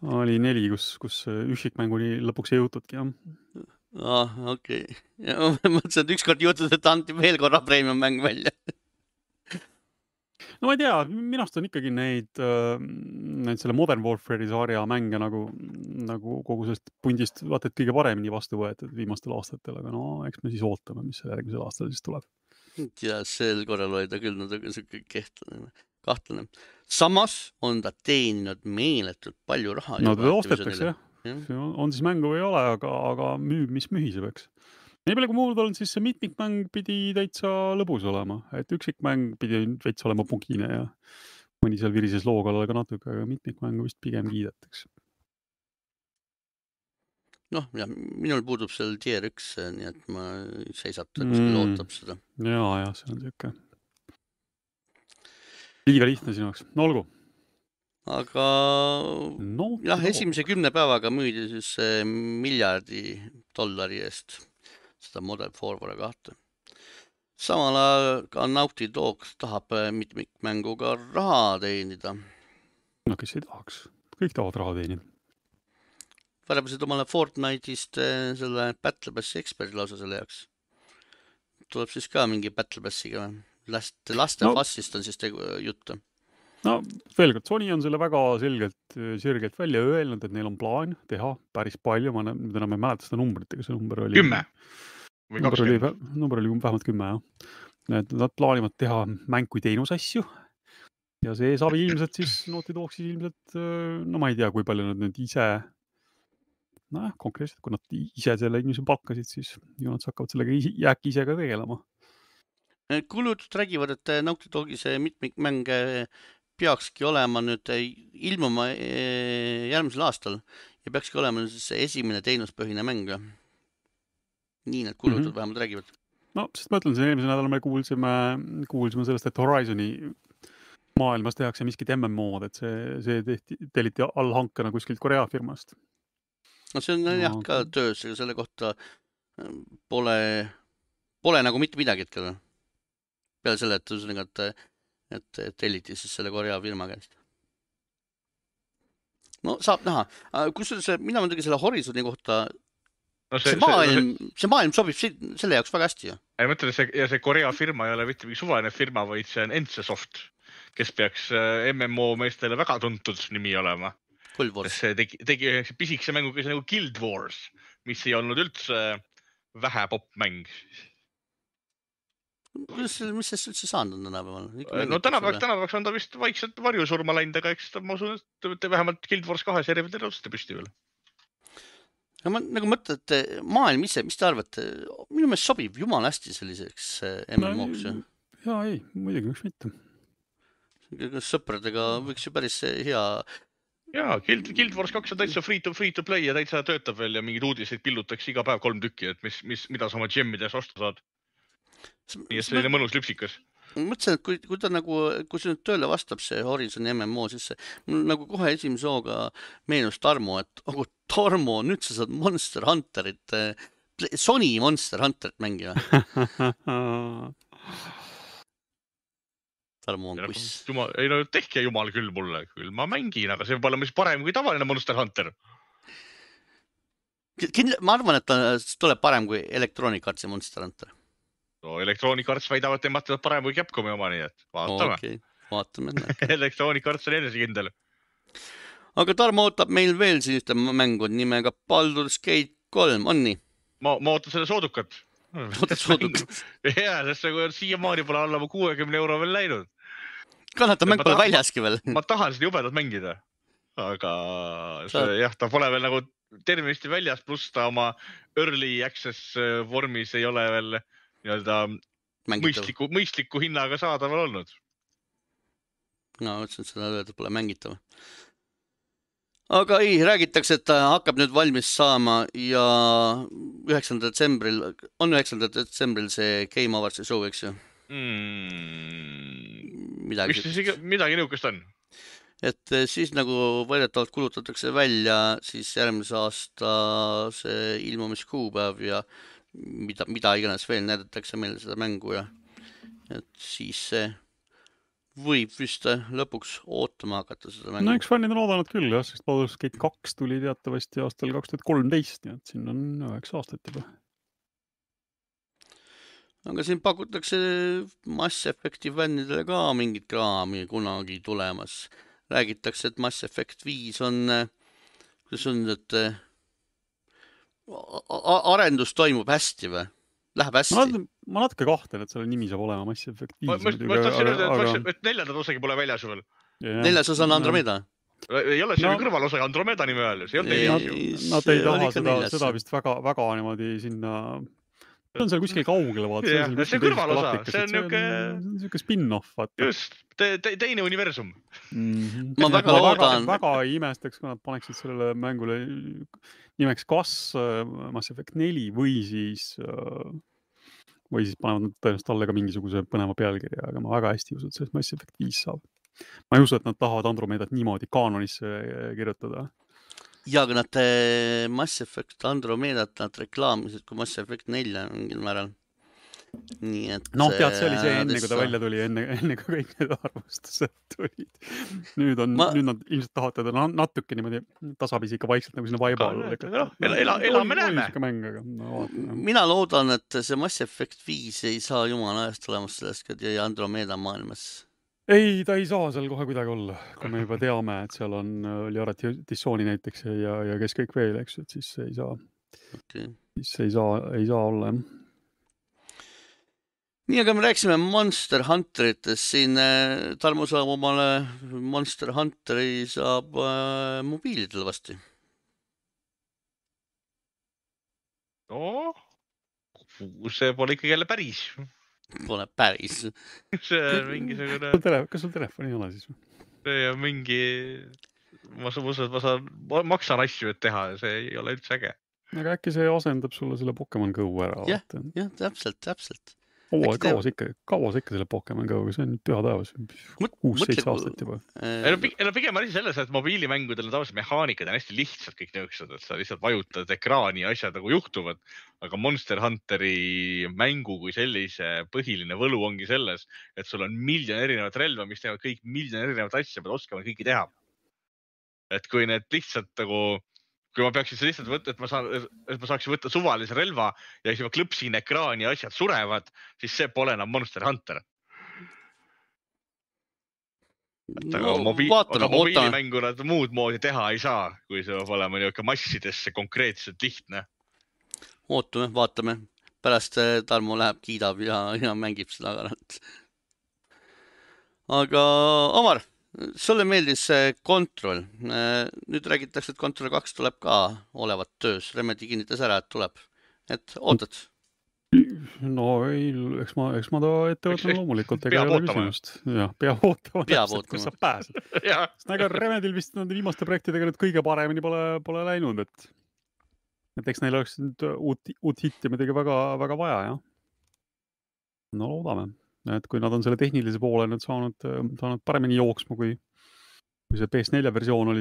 Oli 4, kus üksikmänguni lõpuks ei jõutudki, jah. Okei. Ma mõtlesin, et ükskord juhtus, et anti veel korra premium mäng välja. No ma ei tea, minust on ikkagi neid selle Modern Warfare'i sarja mänge nagu kogu sellest pundist vaata, et kõige paremini vastu võetud viimastel aastatel, aga eks me siis ootame, mis selle järgmisel aastal siis tuleb. Ja sel korral oli ta küll kahtlane. Samas on ta teeninud meeletult palju raha. No ta ostetakse, jah. On siis mängu või ei ole, aga mis mühiseb, eks. Nii palju kui muud on, siis see mitmikmäng pidi täitsa lõbus olema. Et üksikmäng pidi veits olema pugine ja mõni seal virises loo kallal ka natuke, aga mitmikmängu vist pigem kiidetaks. Ja minul puudub seal tier 1, nii et ma seisata, kus lootab seda. Ja, see on siuke. Liiga lihtne sinuks. No olgu. Aga esimese 10 päevaga müüdi siis $1 miljardi eest seda Modern Warfare 2. Samal ajal ka Naughty Dog tahab mitmikmänguga raha teenida. No kes ei tahaks? Kõik tahavad raha teenida. Värebasid omale Fortnite'ist selle Battle Passi eksperdi lausa selle jaoks. Tuleb siis ka mingi Battle Passiga. Laste fassist on siis juttu. Veel kord, Sony on selle väga selgelt välja öelnud, et neil on plaan teha päris palju. Ma nüüd enam ei mäleta seda numbrit, aga see number oli 10 või 20. Number oli vähemalt 10, jah. Nad plaanivad teha mäng kui teenusasju ja see saab ilmselt siis Naughty Dog siis ilmselt, no ma ei tea, kui palju nad nüüd ise, konkreetselt, kui nad ise selle inimese palkasid, siis ju nad hakkavad sellega äkki ise ka tegelema. Kulutud räägivad, et Naughty Dogi see mitmikmäng peakski olema nüüd ilmuma järgmisel aastal ja peakski olema siis see esimene teenuspõhine mäng. Nii need kulutud vähemalt räägivad. No, sest ma ütlen, see eelmise nädal me kuulsime sellest, et Horizoni maailmas tehakse miskit MMO-d, et see telliti allhankena kuskilt Korea firmast. No see on jah ka töös, aga selle kohta pole nagu mitte midagi hetkel. Peale selle, et telliti siis selle Korea firma käest. No saab näha. Kusjuures mina muidugi selle Horizoni kohta see maailm sobib selle jaoks väga hästi. Ei mõtlen, see Korea firma ei ole mitte mingi suvaline firma, vaid see on NCSoft, kes peaks MMO meestele väga tuntud nimi olema. See tegi pisikese mängu, kes nagu Guild Wars, mis ei olnud üldse vähe popmäng. Mis sest üldse saanud on tänapäeval? No tänapäevaks on ta vist vaikselt varjusurma läinud, aga eks ta, ma usun, et vähemalt Guild Wars 2 järjevalt tõuste püsti veel. Ja ma nagu mõtlen, et maailm ise, mis te arvate? Minu meelest sobib jumala hästi selliseks MMO-ks. Jaa, ei, muidugi, miks mitte. Sõpradega võiks ju päris hea... Jaa, Guild Wars 2 on täitsa free to play ja täitsa töötab veel ja mingid uudiseid pillutakse iga päev 3 tükki, et mida sa oma gemmides osta saad. Nii et selline mõnus lüpsikas. Ma mõtlesin, et kui ta nagu, kui see nüüd tööle vastab see Horizon MMO, siis mul nagu kohe esimese hooga meenus Tarmo, et Tarmo, nüüd sa saad Monster Hunterit, Sony Monster Hunterit mängima. Tarmo on kuss. Ei no tehke jumal küll mulle, küll ma mängin, aga see pole mis parem kui tavaline Monster Hunter. Ma arvan, et ta tuleb parem kui Electronic Artsi Monster Hunter. No, Electronic Arts väidavad, et nemad parem kui Capcomi oma, nii et vaatame. Okay, vaatame. Electronic Arts on enesekindel. Aga Tarmo ootab meil veel selliste mängu nimega Baldur's Gate 3, on nii? Ma ootan selle soodukat. Ootad soodukat? Jaa, sest see siiamaani pole alla 60 € veel läinud. Kannata mäng pole väljaski veel. Ma tahan seda jubedat mängida. Aga jah, ta pole veel nagu tervenisti väljas, pluss ta oma early access vormis ei ole veel mõistliku hinnaga saadaval olnud. No, mõtlesin, et seda öelda pole mängitav. Aga ei, räägitakse, et ta hakkab nüüd valmis saama ja 9. detsembril see Game Awards'i show, eks ju? Midagi niukest on. Et siis nagu võidetavalt kulutatakse välja siis järgmise aasta see ilmumiskuupäev ja mida iganes veel näidatakse meile seda mängu ja et siis see võib vist lõpuks ootama hakata seda mängu. No üks fännid on oodanud küll, jah, sest Baldur's Gate 2 tuli teatavasti aastal 2013, nii et siin on 9 aastat juba. Aga siin pakutakse Mass Effecti fännidele ka mingit kraami kunagi tulemas. Räägitakse, et Mass Effect 5 on, kuidas on, et arendus toimub hästi või? Läheb hästi? Ma natuke kahtlen, et selle nimi saab olema Mass Effect 5. Ma tahtsin öelda, et 4. osagi pole väljas veel. 4. osa on Andromeda. Ei ole see kõrvalosa Andromeda nime veel. Nad ei taha seda vist väga niimoodi sinna... See on seal kuskil kaugele vaata. See on kõrvalosa. See on niisugune spin-off. Just, teine universum. Ma väga loodan. Väga ei imestaks, kui nad paneksid sellele mängule nimeks kas Mass Effect 4 või siis panevad nad tõenäoliselt alle ka mingisuguse põneva pealkirja, aga ma väga hästi usun, et sellest Mass Effect 5 saab. Ma ei usu, et nad tahavad Andromedat niimoodi kaanonisse kirjutada. Ja, aga nad Mass Effect Andromedat nad reklaamisid kui Mass Effect 4 mingil määral. Nii et... No, tead, see oli see enne, kui ta välja tuli, enne kui kõik need arvustused tulid. Nüüd nad ilmselt tahavad teda natuke niimoodi tasapisi ikka vaikselt nagu sinna vaiba alla. Elame näeme. Mina loodan, et see Mass Effect 5 ei saa jumala ajast olemas sellest ja Andromeda maailmas. Ei, ta ei saa seal kohe kuidagi olla. Kui me juba teame, et seal on Liara Tissooni näiteks ja kes kõik veel, eks, et siis ei saa. Okay. Siis ei saa olla, jah. nii, aga me rääkisime Monster Hunteritest siin. Tarmo saab omale Monster Hunteri saab mobiilidele vasti. No, see pole ikkagi jälle päris. Pole päris. See on mingisugune... Kas sul telefoni ei ole siis? See on mingi... Ma maksan asju, et teha ja see ei ole üldse äge. Aga äkki see asendab sulle selle Pokemon Go ära? Jah, täpselt. Kaua see ikka selle Pokemon Go-ga, see on püha taevas. 6-7 aastat juba. Pigem asi selles, et mobiilimängudel on tavaliselt mehaanikad on hästi lihtsalt kõik nõuksed, et sa lihtsalt vajutad ekraani ja asjad nagu juhtuvad. Aga Monster Hunteri mängu kui sellise põhiline võlu ongi selles, et sul on miljon erinevat relva, mis teevad kõik miljon erinevat asja, pead oskama kõiki teha. Et kui need lihtsalt nagu... Kui ma peaksin lihtsalt võtta, et ma saaksin võtta suvalise relva ja siis ma klõpsin ekraani ja asjad surevad, siis see pole enam Monster Hunter. Aga mobiilimängu nad muud moodi teha ei saa, kui see peab olema niisugune massidesse konkreetselt lihtne. Vaatame. Pärast Tarmo läheb, kiidab ja mängib seda agaralt. Aga Omar, sulle meeldis Control. Nüüd räägitakse, et Control 2 tuleb ka olevat töös. Remedy kinnitas ära, et tuleb. Et ootad? No ei, eks ma ta ette võtan loomulikult. Peab ootama. Peab ootama, kus sa pääsed. Aga Remedil vist viimaste projektidega nüüd kõige paremini pole läinud. Et eks neil oleks nüüd uut hitti midagi väga vaja, jah. No loodame. Et kui nad on selle tehnilise poole nüüd saanud paremini jooksma, kui see PS4 versioon oli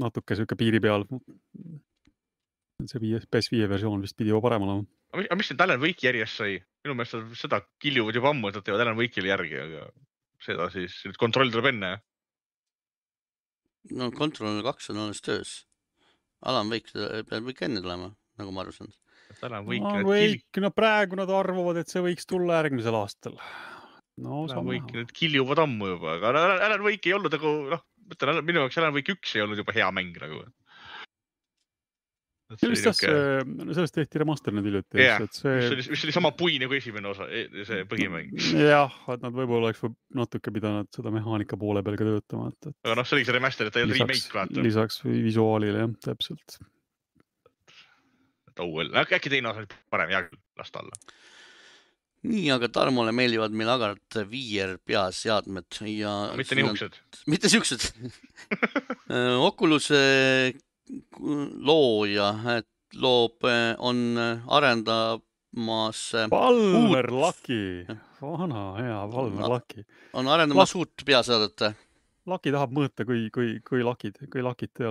natuke piiri peal. See PS5 versioon vist pidi juba parem olema. Aga mis nüüd Alan Wake'i järjest sai? Minu meelest seda kiljuvad juba ammu, et nad teevad Alan Wake'ile järgi, aga seda siis nüüd Control tuleb enne. No Control 2 on alles töös. Alan Wake peab ikka enne tulema, nagu ma aru saan. Praegu nad arvavad, et see võiks tulla järgmisel aastal. Alan Wake nüüd kiljuvad ammu juba, aga Alan Wake ei olnud minu jaoks Alan Wake 1 ei olnud juba hea mäng nagu. Sellest tehti remaster nüüd hiljuti. Mis oli sama pui nagu esimene osa, see põhimäng. Jah, et nad võib-olla oleks natuke pidanud seda mehaanika poole peal ka töötama. Aga see oli see remaster, et ta ei olnud remake vaata. Lisaks visuaalile, jah, täpselt. Äkki teine osa oli parem, jah, lasta alla. Nii, aga Tarmole meeldivad meil agaralt VR peaseadmed. Mitte niisugused. Mitte siuksed. Oculus looja, et on arendamas... Valmer Lucky. Vana, hea, Valmer Lucky. On arendamas uut peaseadet. Lucky tahab mõõta, kui lakid te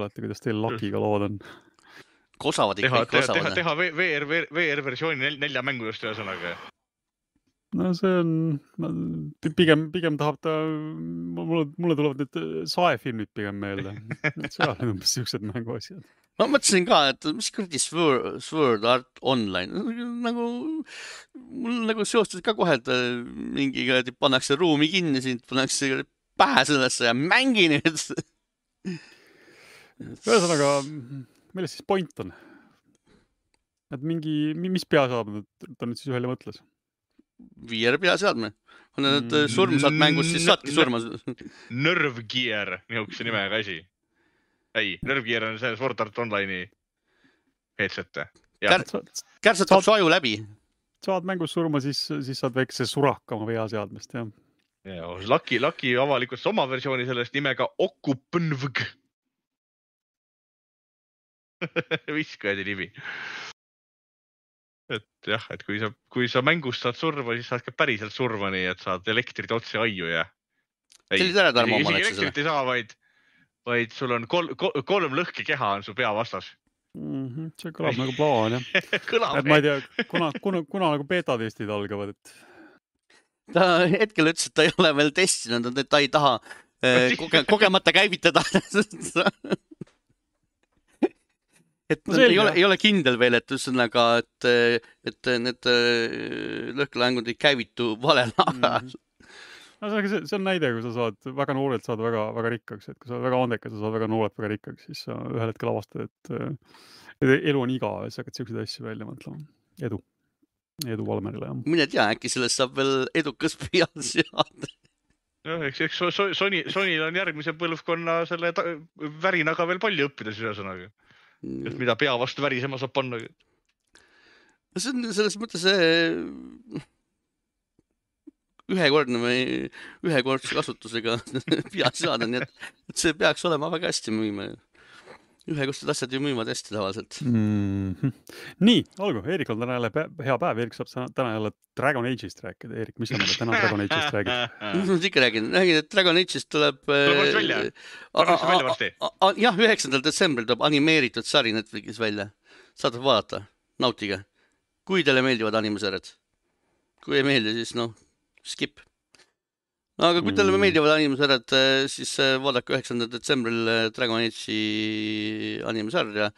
olete, kuidas teil Luckyga lood on. Kosavad ikka, kosavad. Teha VR-versiooni 4 mängudest ühesõnaga. No see on, pigem tahab ta, mulle tulevad need saefilmid pigem meelde. Seal on umbes siuksed mänguasjad. Ma mõtlesin ka, et mis kuradi Sword Art Online. Mul seostus ka kohe, et mingiga pannakse ruumi kinni, sind pannakse pähe sellesse ja mängi nüüd. Ühesõnaga, milles siis point on? Et mis peaseadmed ta nüüd siis ühele mõtles? VR peaseadme. On need surmsad mängus, siis saadki surmas. Nerve Gear, niisuguse nimega asi. Ei, Nerve Gear on see Sword Art Online'i headset. Kärsatab su aju läbi. Saad mängus surma, siis saad väikse suraka oma peaseadmest, jah. Lucky avalikus oma versiooni sellest nimega Okupnvg. Viskajadi nimi. Et jah, et kui sa mängust saad surma, siis saad ka päriselt surma, nii et saad elektrit otse aiu ja... Sellis ära Tarmo oma läkse selle. Elektrit ei saa, vaid sul on 3 lõhki keha on su pea vastas. See kõlab nagu plaan, jah. Et ma ei tea, kuna nagu beta-testid algavad, et... Ta hetkel ütles, et ta ei ole veel testinud, et ta ei taha kogemata käivitada. Et ei ole kindel veel, et üsõnaga, et need lõhkelaengud ei käivitu valel ajal. See on näide, kui sa saad väga noorelt saada väga rikkaks, et kui sa väga andekas, sa saad väga noorelt väga rikkaks, siis sa ühel hetkel avastad, et elu on igav ja sa hakkad siukseid asju välja mõtlema. Edu. Edu Valmerile, jah. Mine tea, äkki sellest saab veel edukas pealseade. Eks Sonyl on järgmise põlvkonna selle värinaga veel palju õppida ühesõnaga. Et mida pea vastu värisema saab panna. See on selles mõttes ühekordse kasutusega pealseade, nii et see peaks olema väga hästi müüma. Ühekordsed asjad ju müüvad hästi tavaliselt. Nii, olgu, Eerik on täna jälle hea päev. Eerik saab täna jälle Dragon Age'ist rääkida. Eerik, mis sa meile täna Dragon Age'ist räägid? Ma ikka räägin, et Dragon Age'ist tuleb... Tuleb välja? Välja varsti? Jah, 9. detsembril tuleb animeeritud sari Netflixis välja. Saad vaadata, nautige. Kui teile meeldivad animesarjad. Kui ei meeldi, siis skip. Aga kui teile meeldivad animesarjad, siis vaadake 9. detsembril Dragon Age'i animesarja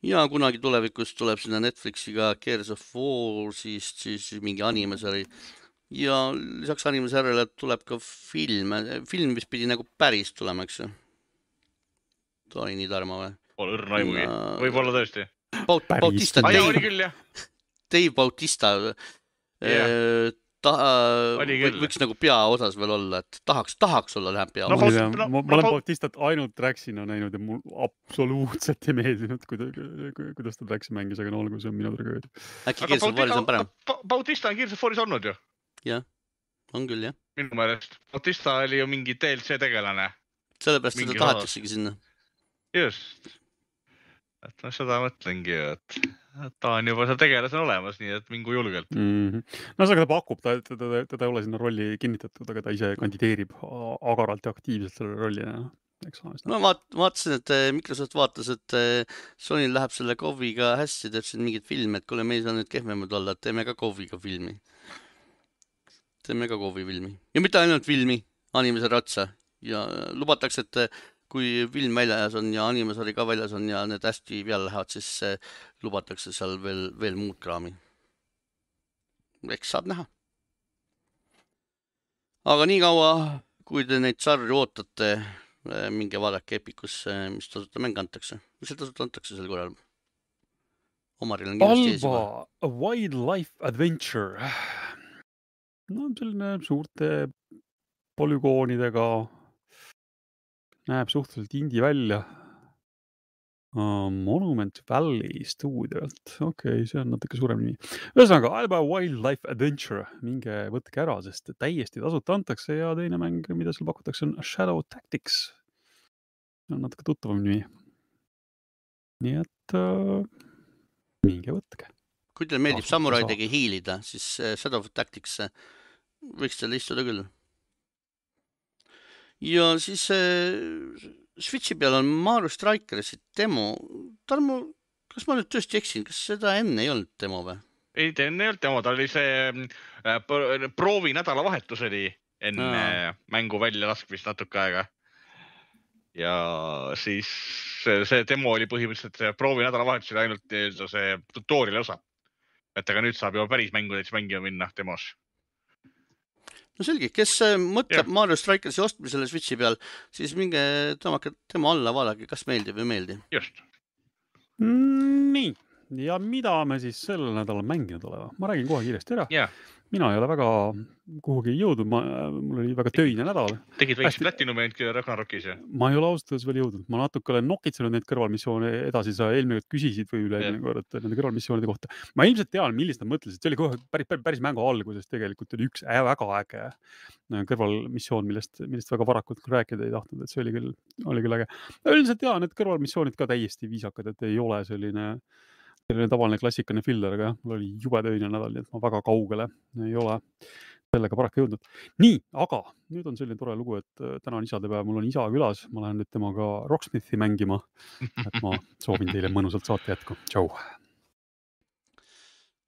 ja kunagi tulevikus tuleb sinna Netflixiga Gears of Wars'ist siis mingi animesari ja lisaks animesarjale tuleb ka film, mis pidi nagu päris tulema, eks ju. Ta oli nii Tarmo või? Pole õrna aimugi, võib-olla tõesti. Bautista, oli küll, jah. Dave Bautista võiks nagu peaosas veel olla, et tahaks olla läheb peaosas. Ma olen Bautistat ainult Draxina näinud ja mul absoluutselt ei meeldinud, kuidas ta Draxi mängis, aga olgu, see on minu tragöödia. Äkki Gears of Waris on parem? Bautista on Gears of Waris olnud ju? Jah, on küll, jah. Minu meelest. Bautista oli ju mingi DLC tegelane. Sellepärast seda tahataksegi sinna. Just. Et ma seda mõtlengi, et ta on juba seal tegelasena olemas, nii et mingu julgelt. No see ta pakub, ta ei ole sinna rolli kinnitatud, aga ta ise kandideerib agaralt ja aktiivselt selle rolli. Ma vaatasin, et Microsoft vaatas, et Sonyl läheb selle KOV-iga hästi, teeb siin mingid filme, et kuule, me ei saa nüüd kehvemad olla, et teeme ka KOV-iga filmi. Teeme ka KOV-i filmi. Ja mitte ainult filmi, animesari otsa. Ja lubatakse, et kui film väljas on ja animesari ka väljas on ja need hästi peale lähevad, siis lubatakse seal veel muud kraami. Eks saab näha. Aga nii kaua, kui te neid sarju ootate, minge vaadake Epikusse, mis tasuta mäng antakse. Mis see tasuta antakse sel korral? Omaril on kindlasti ees juba. Alba, A Wildlife Adventure. No selline suurte polügoonidega näeb suhteliselt indie välja. Monument Valley stuudiolt. Okei, see on natuke suurem nimi. Ühesõnaga, Alba Wildlife Adventure. Minge võtke ära, sest täiesti tasuta antakse ja teine mäng, mida seal pakutakse, on Shadow Tactics. See on natuke tuttavam nimi. Nii et minge võtke. Kui teil meeldib samuraidegi hiilida, siis Shadow Tactics võiks teile istuda küll. Ja siis Switchi peal on Mario Strikersi demo. Tarmo, kas ma nüüd tõesti eksin? Kas seda enne ei olnud demo või? Ei, enne ei olnud demo. Ta oli see proovi nädalavahetus oli enne mängu välja laskmist natuke aega. Ja siis see demo oli põhimõtteliselt see proovi nädalavahetus oli ainult see tutoriali osa. Et aga nüüd saab juba päris mängu näiteks mängima minna demos. No selge, kes mõtleb Mario Strikersi ostmisele Switchi peal, siis minge tõmmake tema alla vaadake, kas meeldib või meeldi. Just. Nii, ja mida me siis sellel nädalal mänginud olema? Ma räägin kohe kiiresti ära. Yeah. Mina ei ole väga kuhugi jõudnud, mul oli väga töine nädal. Tegid väikse platinumi ainult Ragnarokis, jah? Ma ei ole ausalt veel jõudnud. Ma natuke olen nokitsenud neid kõrvalmissioone edasi. Sa eelmine kord küsisid või üle kord nende kõrvalmissioonide kohta. Ma ilmselt tean, millist nad mõtlesid. See oli kohe päris mängu alguses tegelikult oli üks väga äge kõrvalmissioon, millest väga varakult rääkida ei tahtnud. Et see oli küll äge. Üldiselt tean, et kõrvalmissioonid ka täiesti viisakad, et ei ole selline tavaline klassikane filler, aga jah, mul oli jube töine nädal, nii et ma väga kaugele ei ole sellega paraku jõudnud. Nii, aga nüüd on selline tore lugu, et täna on isadepäev, mul on isa külas, ma lähen nüüd temaga Rocksmithi mängima, et ma soovin teile mõnusalt saate jätku. Tšau!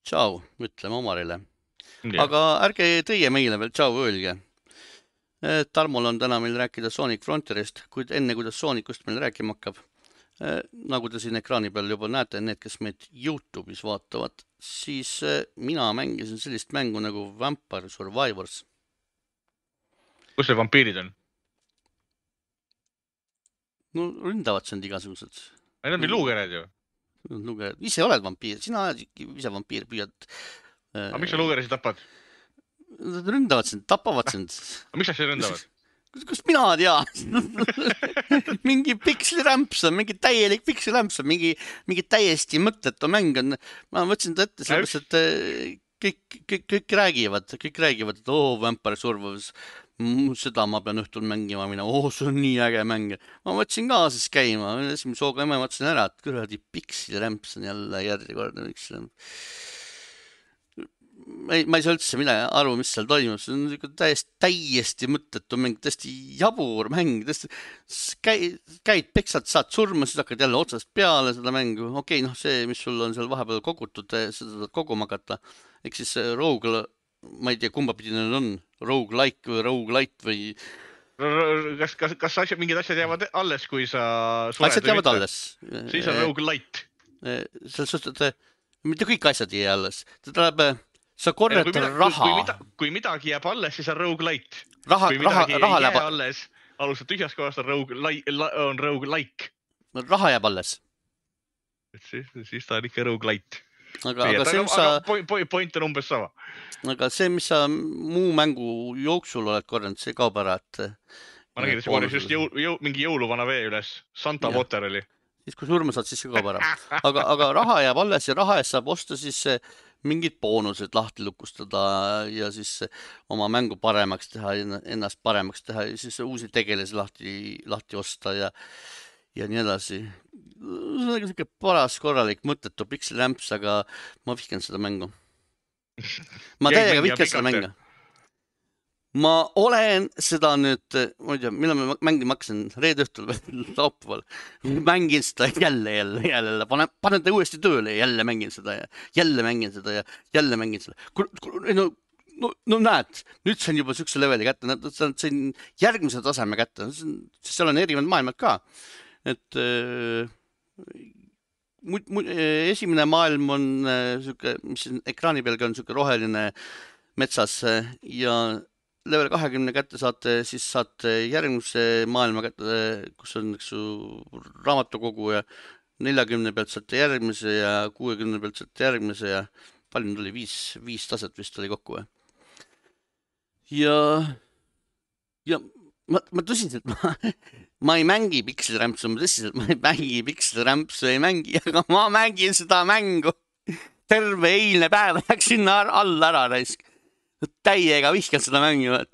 Tšau, ütleme Omarile. Aga ärge teie meile veel tšau öelge. Tarmol on täna meil rääkida Sonic Frontierist, kuid enne kuidas Sonicust meil rääkima hakkab, nagu te siin ekraani peal juba näete, need, kes meid YouTube'is vaatavad, siis mina mängisin sellist mängu nagu Vampire Survivors. Kus see vampiirid on? No ründavad sind igasugused. Need on luugered ju. Ise oled vampiir, sina oled ise vampiir, püüad Aga miks sa luugerisi tapad? Nad ründavad sind, tapavad sind. Aga miks sa see ründavad? Kust mina tean? Mingi pikslirämps on, mingi täielik pikslirämps on, mingi täiesti mõttetu mäng on. Ma võtsin ta ette sellepärast, et kõik räägivad, et Vampire Survivors, seda ma pean õhtul mängima minna, see on nii äge mäng. Ma võtsin ka siis käima, esimese hooga emme mõtlesin ära, et kuradi pikslirämps on jälle järjekordne pikslirämps. Ma ei saa üldse aru, mis seal toimub. See on täiesti mõttetu mäng, täiesti jabur mäng. Käid peksad, saad surma, siis hakkad jälle otsast peale seda mängu. Okei, see, mis sul on seal vahepeal kogutud, seda saad koguma hakata. Ehk siis rogue, ma ei tea, kumba pidi need on, roguelike või roguelite või... Kas mingid asjad jäävad alles, kui sa sured? Asjad jäävad alles. Siis on roguelite. Selles suhtes, et mitte kõik asjad ei jää alles. Ta tuleb... Sa korjad raha. Kui midagi jääb alles, siis on roguelite. Kui midagi ei jää alles, alustad tühjast kohast on roguelike. Raha jääb alles. Siis ta on ikka roguelite. Aga see, mis sa... Point on umbes sama. Aga see, mis sa muu mängu jooksul oled korjanud, see kaob ära, et... Ma nägin, et see just mingi jõuluvana vee üles. Santa Water oli. Siis kui surma saad, siis see kaob ära. Aga raha jääb alles ja raha eest saab osta siis... mingid boonused lahti lukustada ja siis oma mängu paremaks teha, ennast paremaks teha ja siis uusi tegelasi lahti osta ja nii edasi. See on selline paras korralik mõttetu pikslirämps, aga ma vihkan seda mängu. Ma täiega vihkan seda mängu. Ma olen seda nüüd, ma ei tea, millal ma mängima hakkasin, reede õhtul või laupäeval. Mängin seda jälle. Panen ta uuesti tööle ja jälle mängin seda ja jälle mängin seda. No näed, nüüd sain juba sükse leveli kätte, sain järgmise taseme kätte, seal on erinevad maailmad ka. Et esimene maailm on, mis ekraani pealgi on roheline metsas ja level 20 kätte saate, siis saate järgmise maailma kätte, kus on raamatukogu ja 40 pealt saate järgmise ja 60 pealt saate järgmise ja palju nüüd oli, 5 taset vist oli kokku. Ja ma tõsiselt, ma ei mängi pikslirämpsu, ma ei mängi pikslirämpsu, aga ma mängin seda mängu. Terve eilne päev läks sinna alla ära raisk. Täiega vihkan seda mängu, et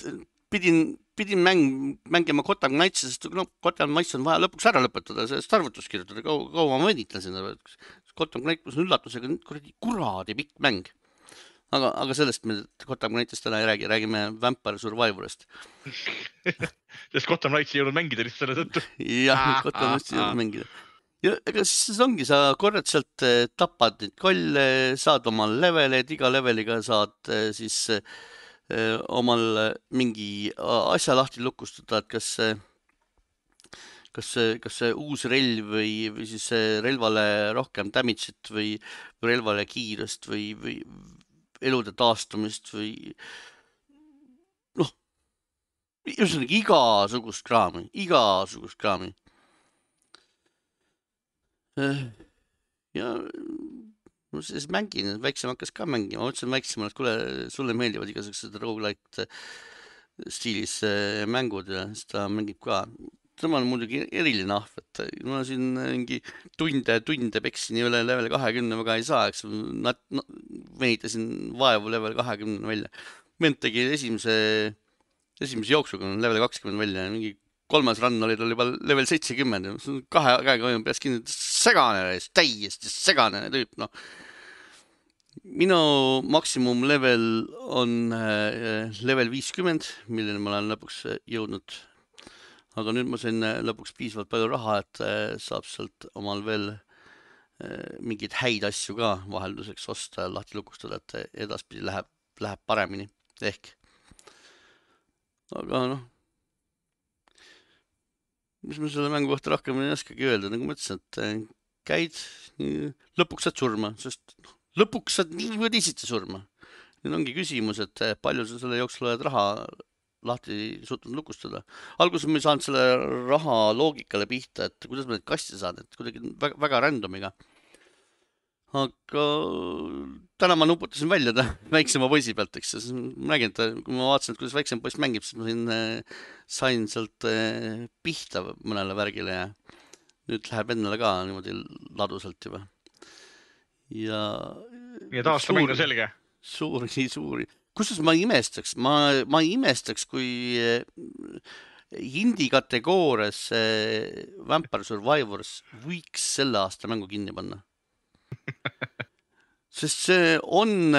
pidin mängima Gotham Knightsi, sest Gotham Knights on vaja lõpuks ära lõpetada, sellest arvutus kirjutada, kaua ma võnitlesin. Gotham Knight on üllatusega kuradi pikk mäng. Aga sellest me Gotham Knightist täna ei räägi, räägime Vampire Survivorist. Sest Gotham Knights ei jõudnud mängida lihtsalt selle tõttu. Jah, Gotham Knights ei jõudnud mängida. Ja ega siis ongi, sa korrad sealt tapad neid kolle, saad omal levelid, iga leveliga saad siis omal mingi asja lahti lukustada, et kas see uus relv või siis relvale rohkem damage'it või relvale kiirust või elude taastumist või igasugust kraami. Ja ma siis mängin, väiksem hakkas ka mängima, ma ütlesin väiksem, et kuule, sulle meeldivad igasugused roguelite stiilis mängud ja siis ta mängib ka. Tema on muidugi eriline ahv, et ma siin mingi tunde peksin ja üle level 20 väga ei saa, eks venitasin vaevu level 20 välja. Vend tegi esimese jooksuga level 20 välja ja mingi 3. run oli tal juba level 70. Kahe käega hoian peas kinni, täiesti segane tüüp. Minu maksimum level on level 50, milleni ma olen lõpuks jõudnud. Aga nüüd ma sain lõpuks piisavalt palju raha, et saab sealt omal veel mingeid häid asju ka vahelduseks osta ja lahti lukustada, et edaspidi läheb paremini. Ehk. Aga mis ma selle mängu kohta rohkem ei oskagi öelda, nagu ma ütlesin, et käid, lõpuks saad surma, sest lõpuks saad nii või teisiti surma. Nüüd ongi küsimus, et palju sa selle jooksul oled raha lahti suutnud lukustada. Alguses ma ei saanud selle raha loogikale pihta, et kuidas ma neid kasti saan, et kuidagi väga randomiga. aga täna ma nuputasin välja ta väiksema poisi pealt, eks. Ma nägin, et kui ma vaatasin, kuidas väiksem poiss mängib, siis ma sain sealt pihta mõnele värgile ja nüüd läheb endale ka niimoodi ladusalt juba. Ja aasta mäng on selge. Suuri. Kusjuures ma ei imestaks, kui indie kategoorias Vampire Survivors võiks selle aasta mängu kinni panna. Sest see on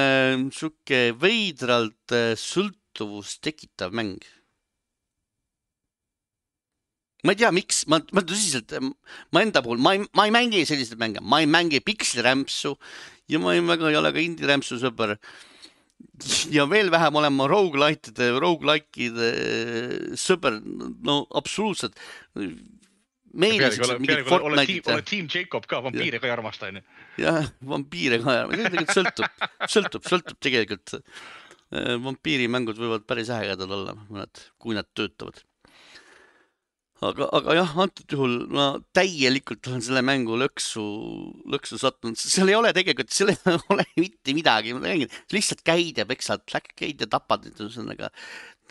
suke veidralt sõltuvust tekitav mäng. Ma ei tea, miks, ma tõsiselt, ma enda puhul, ma ei mängi selliseid mänge, ma ei mängi pikslirämpsu ja ma ei väga ei ole ka indie-rämpsu sõber. Ja veel vähem olen ma roguelike'ide sõber, no absoluutselt. Pealegi ole Team Jacob ka, vampiire ka ei armasta. Jah, vampiire ka ei armasta. Sõltub tegelikult. Vampiirimängud võivad päris ägedad olla, kui nad töötavad. Aga jah, antud juhul ma täielikult olen selle mängu lõksu sattunud. Seal ei ole tegelikult, seal ei ole mitte midagi. Lihtsalt käid ja peksad, käid ja tapad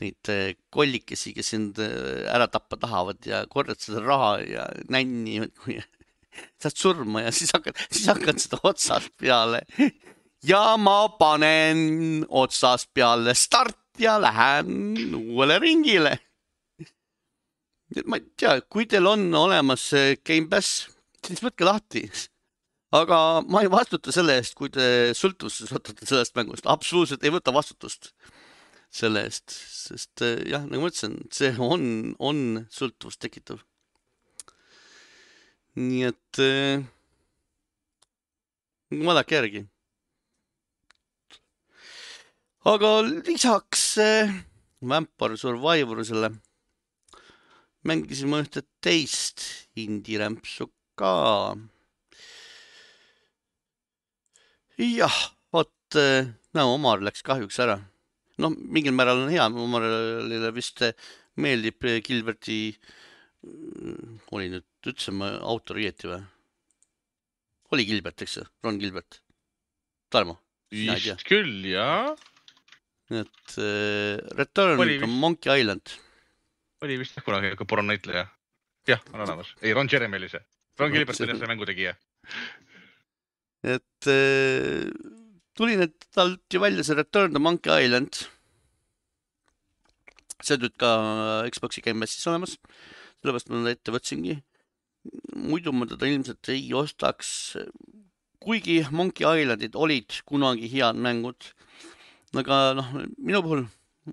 neid kollikesi, kes sind ära tappa tahavad ja korjad seda raha ja nänni, kui saad surma ja siis hakkad seda otsast peale. Ja ma panen otsast peale start ja lähen uuele ringile. Ma ei tea, kui teil on olemas Game Pass, siis võtke lahti. Aga ma ei vastuta selle eest, kui te sõltuvuses võtate sellest mängust. Absoluutselt ei võta vastutust selle eest, sest jah, nagu ma ütlesin, see on sõltuvust tekitav. Nii et vaadake järgi. Aga lisaks Vampire Survivorsele mängisime ühte teist indie-rämpsu ka. Jah, vot, Omar läks kahjuks ära. No, mingil määral on hea, Omarile vist meeldib Gilberti, oli nüüd, ütlesin ma autor õieti või? Oli Gilbert, eks? Ron Gilbert. Tarmo? Vist küll, jah. Et Return to Monkey Island. Oli vist kunagi pornonäitleja. Jah, on olemas. Ei, Ron Jeremy oli see. Ron Gilbert oli see mängutegija. Et tuli nüüd talt ju välja see Return to Monkey Island. See nüüd ka Xbox'i Game Passis olemas. Sellepärast ma ette võtsingi. Muidu ma teda ilmselt ei ostaks. Kuigi Monkey Islandid olid kunagi head mängud. Aga minu puhul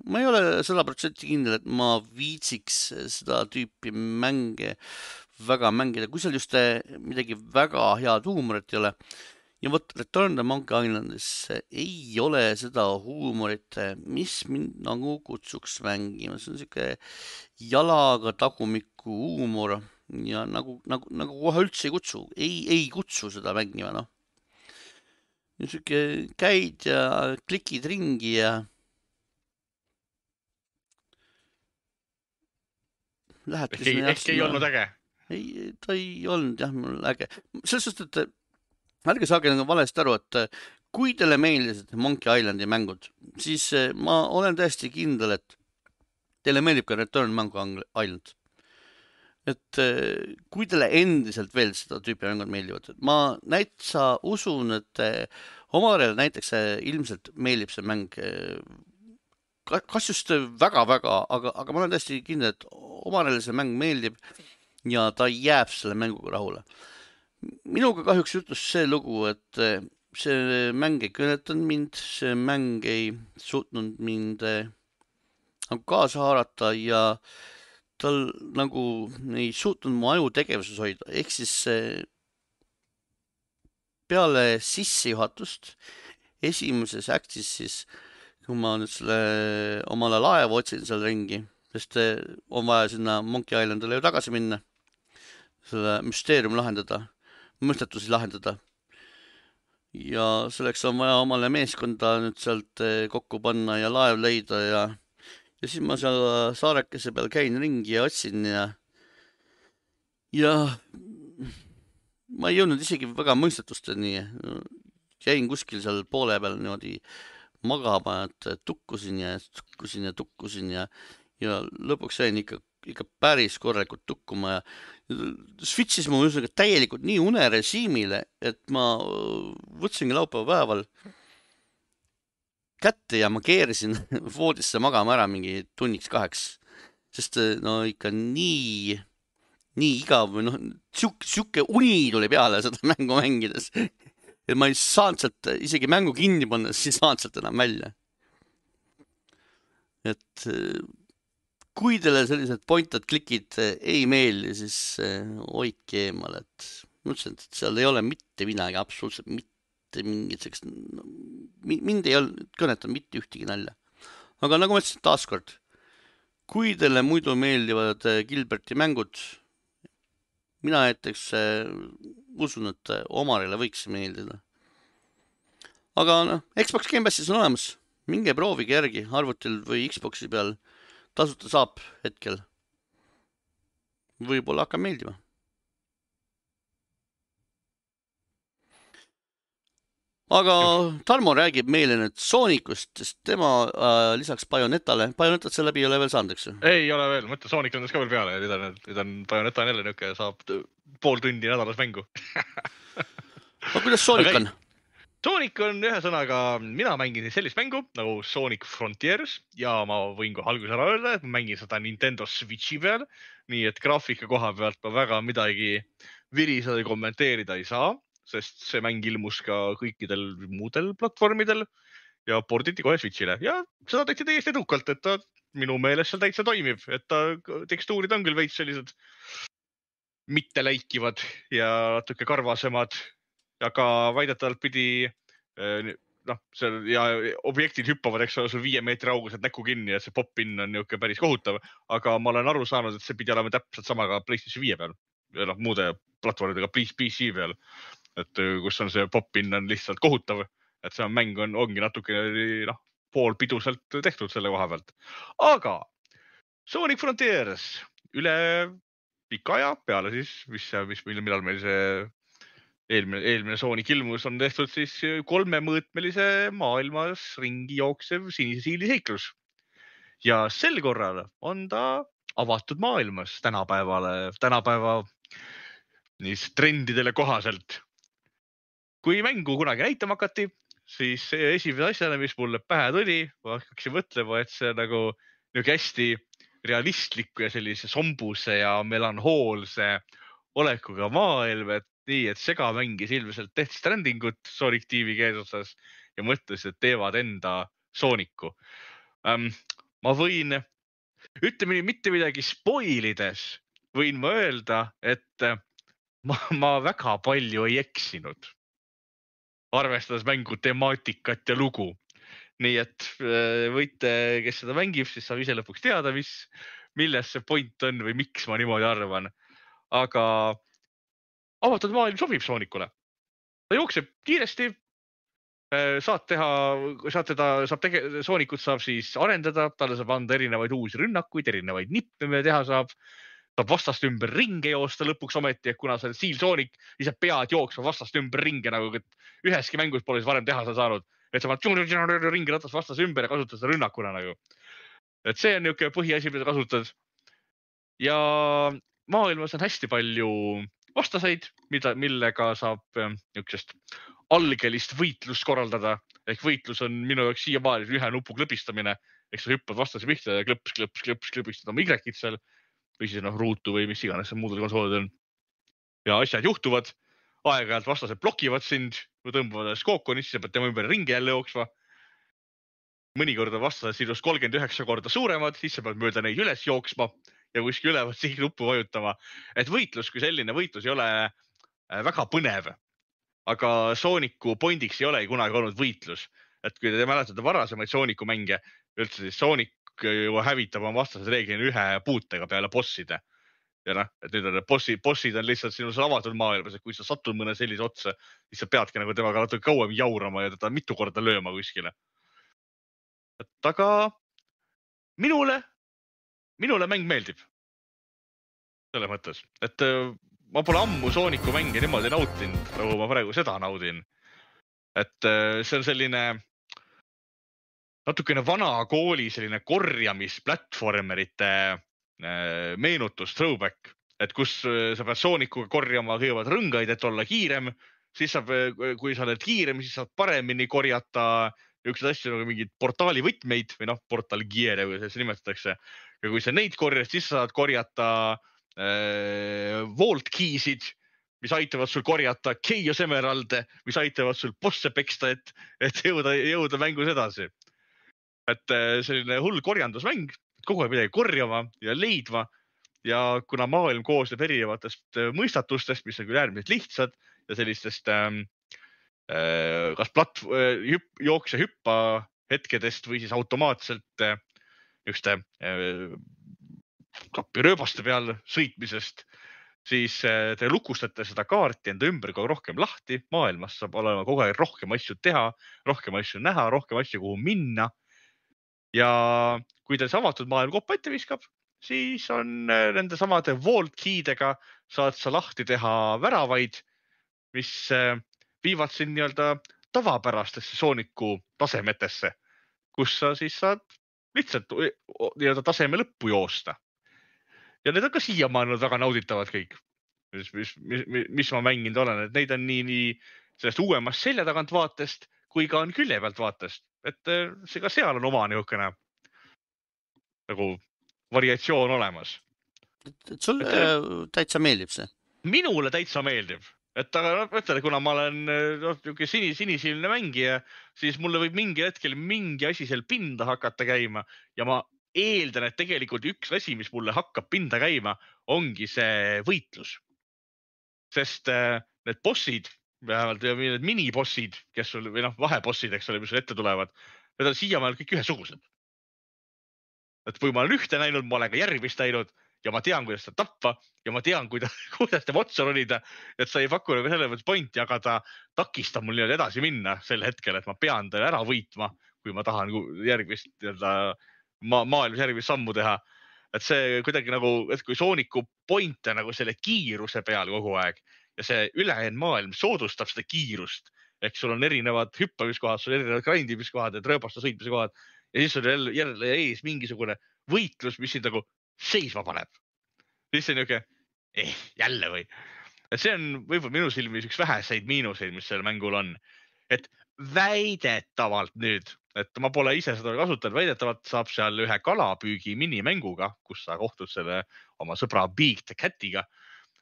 ma ei ole 100% kindel, et ma viitsiks seda tüüpi mänge väga mängida, kui seal just midagi väga head huumorit ei ole. Ja võt Return to Monkey Islandis ei ole seda huumorit, mis mind nagu kutsuks mängima. See on siuke jalaga tagumiku huumor ja nagu kohe üldse ei kutsu seda mängima. Siuke käid ja klikid ringi ja Ehk ei olnud äge? Ei, ta ei olnud jah mul äge. Selles suhtes, et ärge saage valesti aru, et kui teile meeldisid Monkey Islandi mängud, siis ma olen täiesti kindel, et teile meeldib ka Return Monkey Island. Et kui teile endiselt veel seda tüüpi mängud meeldivad, ma näitsa usun, et Omarele näiteks ilmselt meeldib see mäng kas just väga-väga, aga ma olen täiesti kindel, et Omarele see mäng meeldib ja ta jääb selle mänguga rahule. Minuga kahjuks jutus see lugu, et see mäng ei kõnetanud mind, see mäng ei suutnud mind kaasa haarata ja tal nagu ei suutnud mu aju tegevuses hoida. Ehk siis peale sissejuhatust esimeses aktis siis kui ma nüüd selle omale laeva otsin seal ringi, sest on vaja sinna Monkey Islandile ju tagasi minna, selle müsteerium lahendada, mõistetusi lahendada. Ja selleks on vaja omale meeskonda nüüd sealt kokku panna ja laev leida ja siis ma seal saarekese peal käin ringi ja otsin ja ma ei jõudnud isegi väga mõistetusteni jäin kuskil seal poole peal niimoodi magama, et tukkusin ja lõpuks jäin ikka päris korralikult tukkuma ja switchis mu ühesõnaga täielikult nii unerežiimile, et ma võtsingi laupäeva päeval kätte ja ma keerisin voodisse magama ära mingi tunniks 2, sest no ikka nii igav või siuke uni tuli peale seda mängu mängides, et ma ei saanud sealt isegi mängu kinni panna, siis ei saanud sealt enam välja. Et kui teile sellised point-and-clickid ei meeldi, siis hoidke eemal, et mõtlesin, et seal ei ole mitte midagi, absoluutselt mitte mingit sellist, mind ei ole kõnetanud mitte ühtegi nalja. Aga nagu ma ütlesin taaskord, kui teile muidu meeldivad Gilberti mängud, mina näiteks usun, et Omarile võiks meeldida. Aga Xbox Game Passis on olemas, minge proovige järgi arvutil või Xboxi peal, tasuta saab hetkel. Võib-olla hakkab meeldima. Aga Tarmo räägib meile nüüd Soonicust, sest tema lisaks Bayonettale, Bayonetat selle läbi ei ole veel saanud, eks ju? Ei ole veel, mõtle Sonic on ka veel peale ja nüüd on Bayonetta on jälle niuke, saab pool tundi nädalas mängu. Aga kuidas Sonic on? Sonic on ühesõnaga, mina mängin sellist mängu nagu Sonic Frontiers ja ma võin kohe alguses ära öelda, et ma mängin seda Nintendo Switchi peal, nii et graafika koha pealt ma väga midagi viriseda kommenteerida ei saa, sest see mäng ilmus ka kõikidel muudel platvormidel ja porditi kohe Switchile ja seda tehti täiesti edukalt, et ta minu meelest seal täitsa toimib, et ta tekstuurid on küll veits sellised mitte läikivad ja natuke karvasemad, aga väidetavalt pidi seal ja objektid hüppavad, eks ole, sul 5 meetri auguselt näkku kinni ja see pop-in on niuke päris kohutav, aga ma olen aru saanud, et see pidi olema täpselt sama ka PlayStation 5 peal ja muude platvormidega PC peal, et kus on see pop-in on lihtsalt kohutav, et see mäng ongi natuke poolpiduselt tehtud selle koha pealt. Aga Sonic Frontiers üle pika aja peale siis, millal meil see eelmine Sonic ilmus on tehtud siis 3-mõõtmelise maailmas ringi jooksev sinise siili seiklus. Ja sel korral on ta avatud maailmas tänapäeva trendidele kohaselt. Kui mängu kunagi näitama hakati, siis esimese asjana, mis mulle pähe tuli, ma hakkasin mõtlema, et see nagu hästi realistliku ja sellise sombuse ja melanhoolse olekuga maailm, et nii, et Sega mängis ilmselt Death Strandingut Sonic TV keesuses ja mõtles, et teevad enda Sonicu. Ma võin, ütleme mitte midagi spoilides, võin ma öelda, et ma väga palju ei eksinud, arvestades mängu temaatikat ja lugu. Nii et võite, kes seda mängib, siis saab ise lõpuks teada, milles see point on või miks ma niimoodi arvan. Aga avatud maailm sobib Sonicule. Ta jookseb kiiresti, Sonicut saab siis arendada, talle saab anda erinevaid uusi rünnakuid, erinevaid nippe, mida teha saab vastast ümber ringe joosta lõpuks ometi, et kuna see Seal Sonic, siis sa pead jooksma vastast ümber ringe, nagu üheski mängus pole siis varem teha saanud, et sa pead ringi ratas vastas ümber ja kasutad seda rünnakuna nagu. Et see on niuke põhiasi, mida kasutad. Ja maailmas on hästi palju vastaseid, millega saab niisugust algelist võitlust korraldada. Ehk võitlus on minu jaoks siiamaani ühe nupu klõbistamine. Ehk sa hüppad vastase pihta ja klõpistad oma Y-kid seal või siis ruutu või mis iganes muudel konsoolid on. Ja asjad juhtuvad, aeg-ajalt vastased blokivad sind või tõmbavad skookoni, siis sa pead tema ümber ringi jälle jooksma. Mõnikord on vastased sinust 39 korda suuremad, siis sa pead mööda neid üles jooksma ja kuskil ülevad sihi nuppu vajutama. Et võitlus kui selline võitlus ei ole väga põnev, aga Sooniku pointiks ei ole kunagi olnud võitlus. Et kui te mäletate varasemaid Sooniku mänge, üldse siis Soonik hävitab oma vastased reeglina ühe puutega peale bosside. Ja et nüüd on bossid on lihtsalt sinus avatud maailmas, et kui sa satud mõne sellise otsa, siis sa peadki nagu temaga natuke kauem jaurama ja teda mitu korda lööma kuskile. Et aga minule mäng meeldib. Selle mõttes, et ma pole ammu Sooniku mänge niimoodi nautinud, nagu ma praegu seda naudin. et see on selline natukene vana kooli selline korjamisplatvormerite meenutus, throwback, et kus sa pead Soonicuga korjama kõigepealt rõngaid, et olla kiirem, siis saab, kui sa oled kiirem, siis saad paremini korjata niisuguseid asju nagu mingid portaali võtmeid või portalgiere, kui see nimetatakse. Ja kui sa neid korjad, siis saad korjata vault key'sid, mis aitavad sul korjata Chaos Emeralde, mis aitavad sul bosse peksta, et jõuda mängus edasi. Et selline hull korjandusmäng, kogu aeg midagi korjama ja leidma. Ja kuna maailm koosneb erinevatest mõistatustest, mis on küll äärmiselt lihtsad ja sellistest kas jookse hüppa hetkedest või siis automaatselt niisuguste kapirööbaste peal sõitmisest, siis te lukustate seda kaarti enda ümber kogu rohkem lahti. Maailmas saab olema kogu aeg rohkem asju teha, rohkem asju näha, rohkem asju, kuhu minna. Ja kui teil see avatud maailm koppa ette viskab, siis on nende samade vault key'dega saad sa lahti teha väravaid, mis viivad siin nii-öelda tavapärastesse Soonicu tasemetesse, kus sa siis saad lihtsalt nii-öelda taseme lõppu joosta. Ja need on ka siiamaani väga nauditavad kõik, mis ma mänginud olen, et neid on nii sellest uuemast selja tagant vaatest kui ka on külje pealt vaatest. Et see ka seal on oma niisugune nagu variatsioon olemas. Et sul täitsa meeldib see? Minule täitsa meeldib. Et aga mõtled, kuna ma olen sinisilmne mängija, siis mulle võib mingi hetkel mingi asi seal pinda hakata käima ja ma eeldan, et tegelikult üks asi, mis mulle hakkab pinda käima, ongi see võitlus. Sest need bossid, vähemalt need minibossid, kes sul, või vahebossid, eks ole, mis sul ette tulevad, need on siiamaal kõik ühesugused. Et kui ma olen ühte näinud, ma olen ka järgmist näinud ja ma tean, kuidas ta tappa ja ma tean, kuidas ta otsa ronida, et sa ei paku nagu selle mõttes pointi, aga ta takistab mul nii-öelda edasi minna sel hetkel, et ma pean ta ära võitma, kui ma tahan järgmist maailmas järgmist sammu teha. Et see kuidagi nagu, et kui Soonicu point on nagu selle kiiruse peal kogu aeg ja see ülejäänud maailm soodustab seda kiirust, ehk sul on erinevad hüppamiskohad, sul on erinevad grindimiskohad, rööbaste sõitmise kohad ja siis on jälle ees mingisugune võitlus, mis sind nagu seisma paneb. Siis see on niisugune, jälle või. Et see on võib-olla minu silmis üks väheseid miinuseid, mis sellel mängul on. Et väidetavalt nüüd, et ma pole ise seda kasutanud, väidetavalt saab seal ühe kalapüügi minimänguga, kus sa kohtud selle oma sõbra Big the Catiga.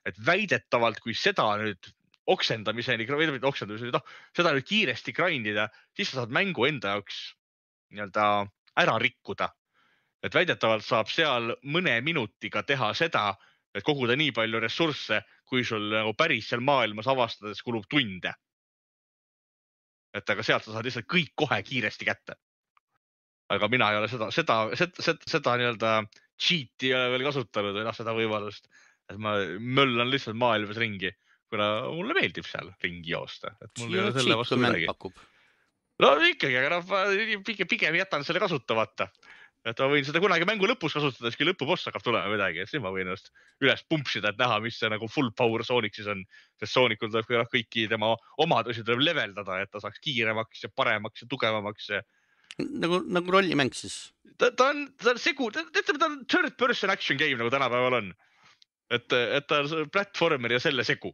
Et väidetavalt, kui seda nüüd oksendamiseni, seda nüüd kiiresti grindida, siis sa saad mängu enda jaoks nii-öelda ära rikkuda. Et väidetavalt saab seal mõne minutiga teha seda, et koguda nii palju ressursse, kui sul nagu päris seal maailmas avastades kulub tunde. Et aga sealt sa saad lihtsalt kõik kohe kiiresti kätte. Aga mina ei ole seda nii-öelda cheat'i ei ole veel kasutanud või seda võimalust. Et ma möllan lihtsalt maailmas ringi, kuna mulle meeldib seal ringi joosta. Et mul ei ole selle vastu midagi. No ikkagi, aga pigem jätan selle kasutamata. Et ma võin seda kunagi mängu lõpus kasutada, siis kui lõpuboss hakkab tulema midagi, et siis ma võin üles pumpsida, et näha, mis see nagu full power Sonic siis on. Sest Sonicul tuleb kõiki tema omadusi tuleb leveldada, et ta saaks kiiremaks ja paremaks ja tugevamaks. Nagu rollimäng siis? Ta on segu, ta on third person action game, nagu tänapäeval on. Et ta on platformer ja selle segu.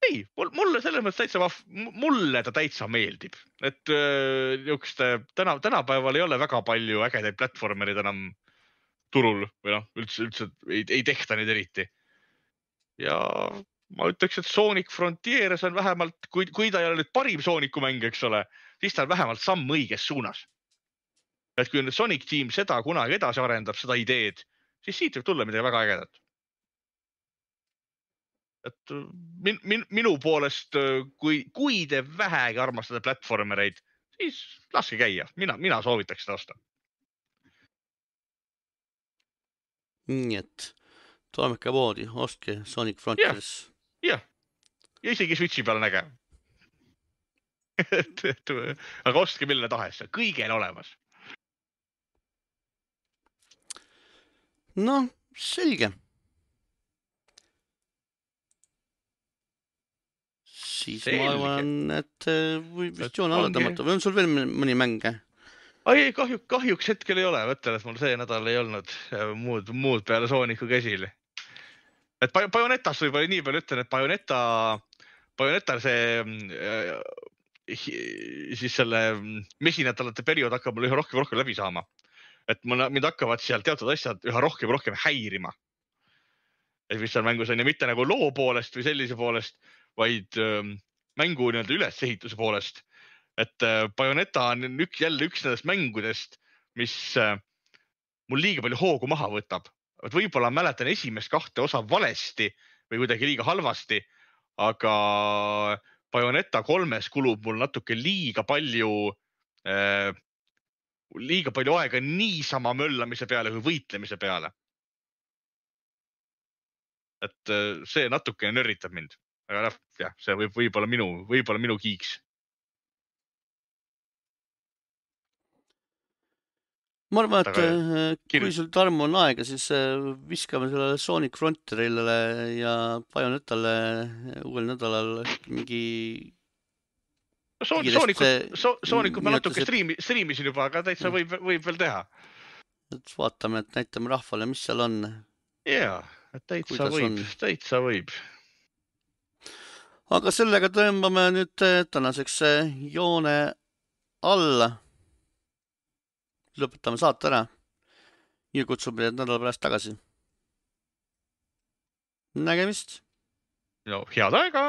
Ei, mulle selles mõttes mulle ta täitsa meeldib. Et tänapäeval ei ole väga palju ägedaid platformerid enam turul või üldse ei tehta neid eriti. Ja ma ütleks, et Sonic Frontiers on vähemalt, kui ta ei ole nüüd parim Soonicu mäng, eks ole, siis ta on vähemalt samm õiges suunas. Et kui Sonic Team seda kunagi edasi arendab, seda ideed, siis siit võib tulla midagi väga ägedat. Et minu poolest, kui te vähegi armastada platformereid, siis laske käia. Mina soovitaks seda osta. Nii et toimeka poodi, ostke Sonic Frontiers. Ja isegi Switchi peal näge. Aga ostke mille tahes, kõigel olemas. No, selge. siis Selge. ma arvan, et võib vist Et joone alla ongi- tõmmata või on sul veel mõni mäng? ei, kahjuks hetkel ei ole, mõtlen, et mul see nädal ei olnud muud peale Sooniku käsil. Et Bayonettast võib-olla nii palju ütlen, et Bayonetta see siis selle mesinädalate periood hakkab mul üha rohkem läbi saama. Et mind hakkavad seal teatud asjad üha rohkem häirima. Et mis seal mängus on ja mitte nagu loo poolest või sellise poolest, vaid mängu nii-öelda ülesehituse poolest. Et Bayonetta on jälle üks nendest mängudest, mis mul liiga palju hoogu maha võtab. Et võib-olla mäletan esimest 2 osa valesti või kuidagi liiga halvasti, aga Bayonetta 3 kulub mul natuke liiga palju aega niisama möllamise peale kui võitlemise peale. Et see natuke nörritab mind. Aga jah, see võib-olla minu kiiks. Ma arvan, et Aga kui sul Tarmo on aega, siis viskame sellele Sonic Frontierile ja Bayonettale uuel nädalal mingi Soonikut ma natuke striimisin juba, aga täitsa võib veel teha. et vaatame, et näitame rahvale, mis seal on. Jaa, täitsa võib. Aga sellega tõmbame nüüd tänaseks joone alla. Lõpetame saate ära. Ja kutsume teid nädala pärast tagasi. Nägemist! No, head aega!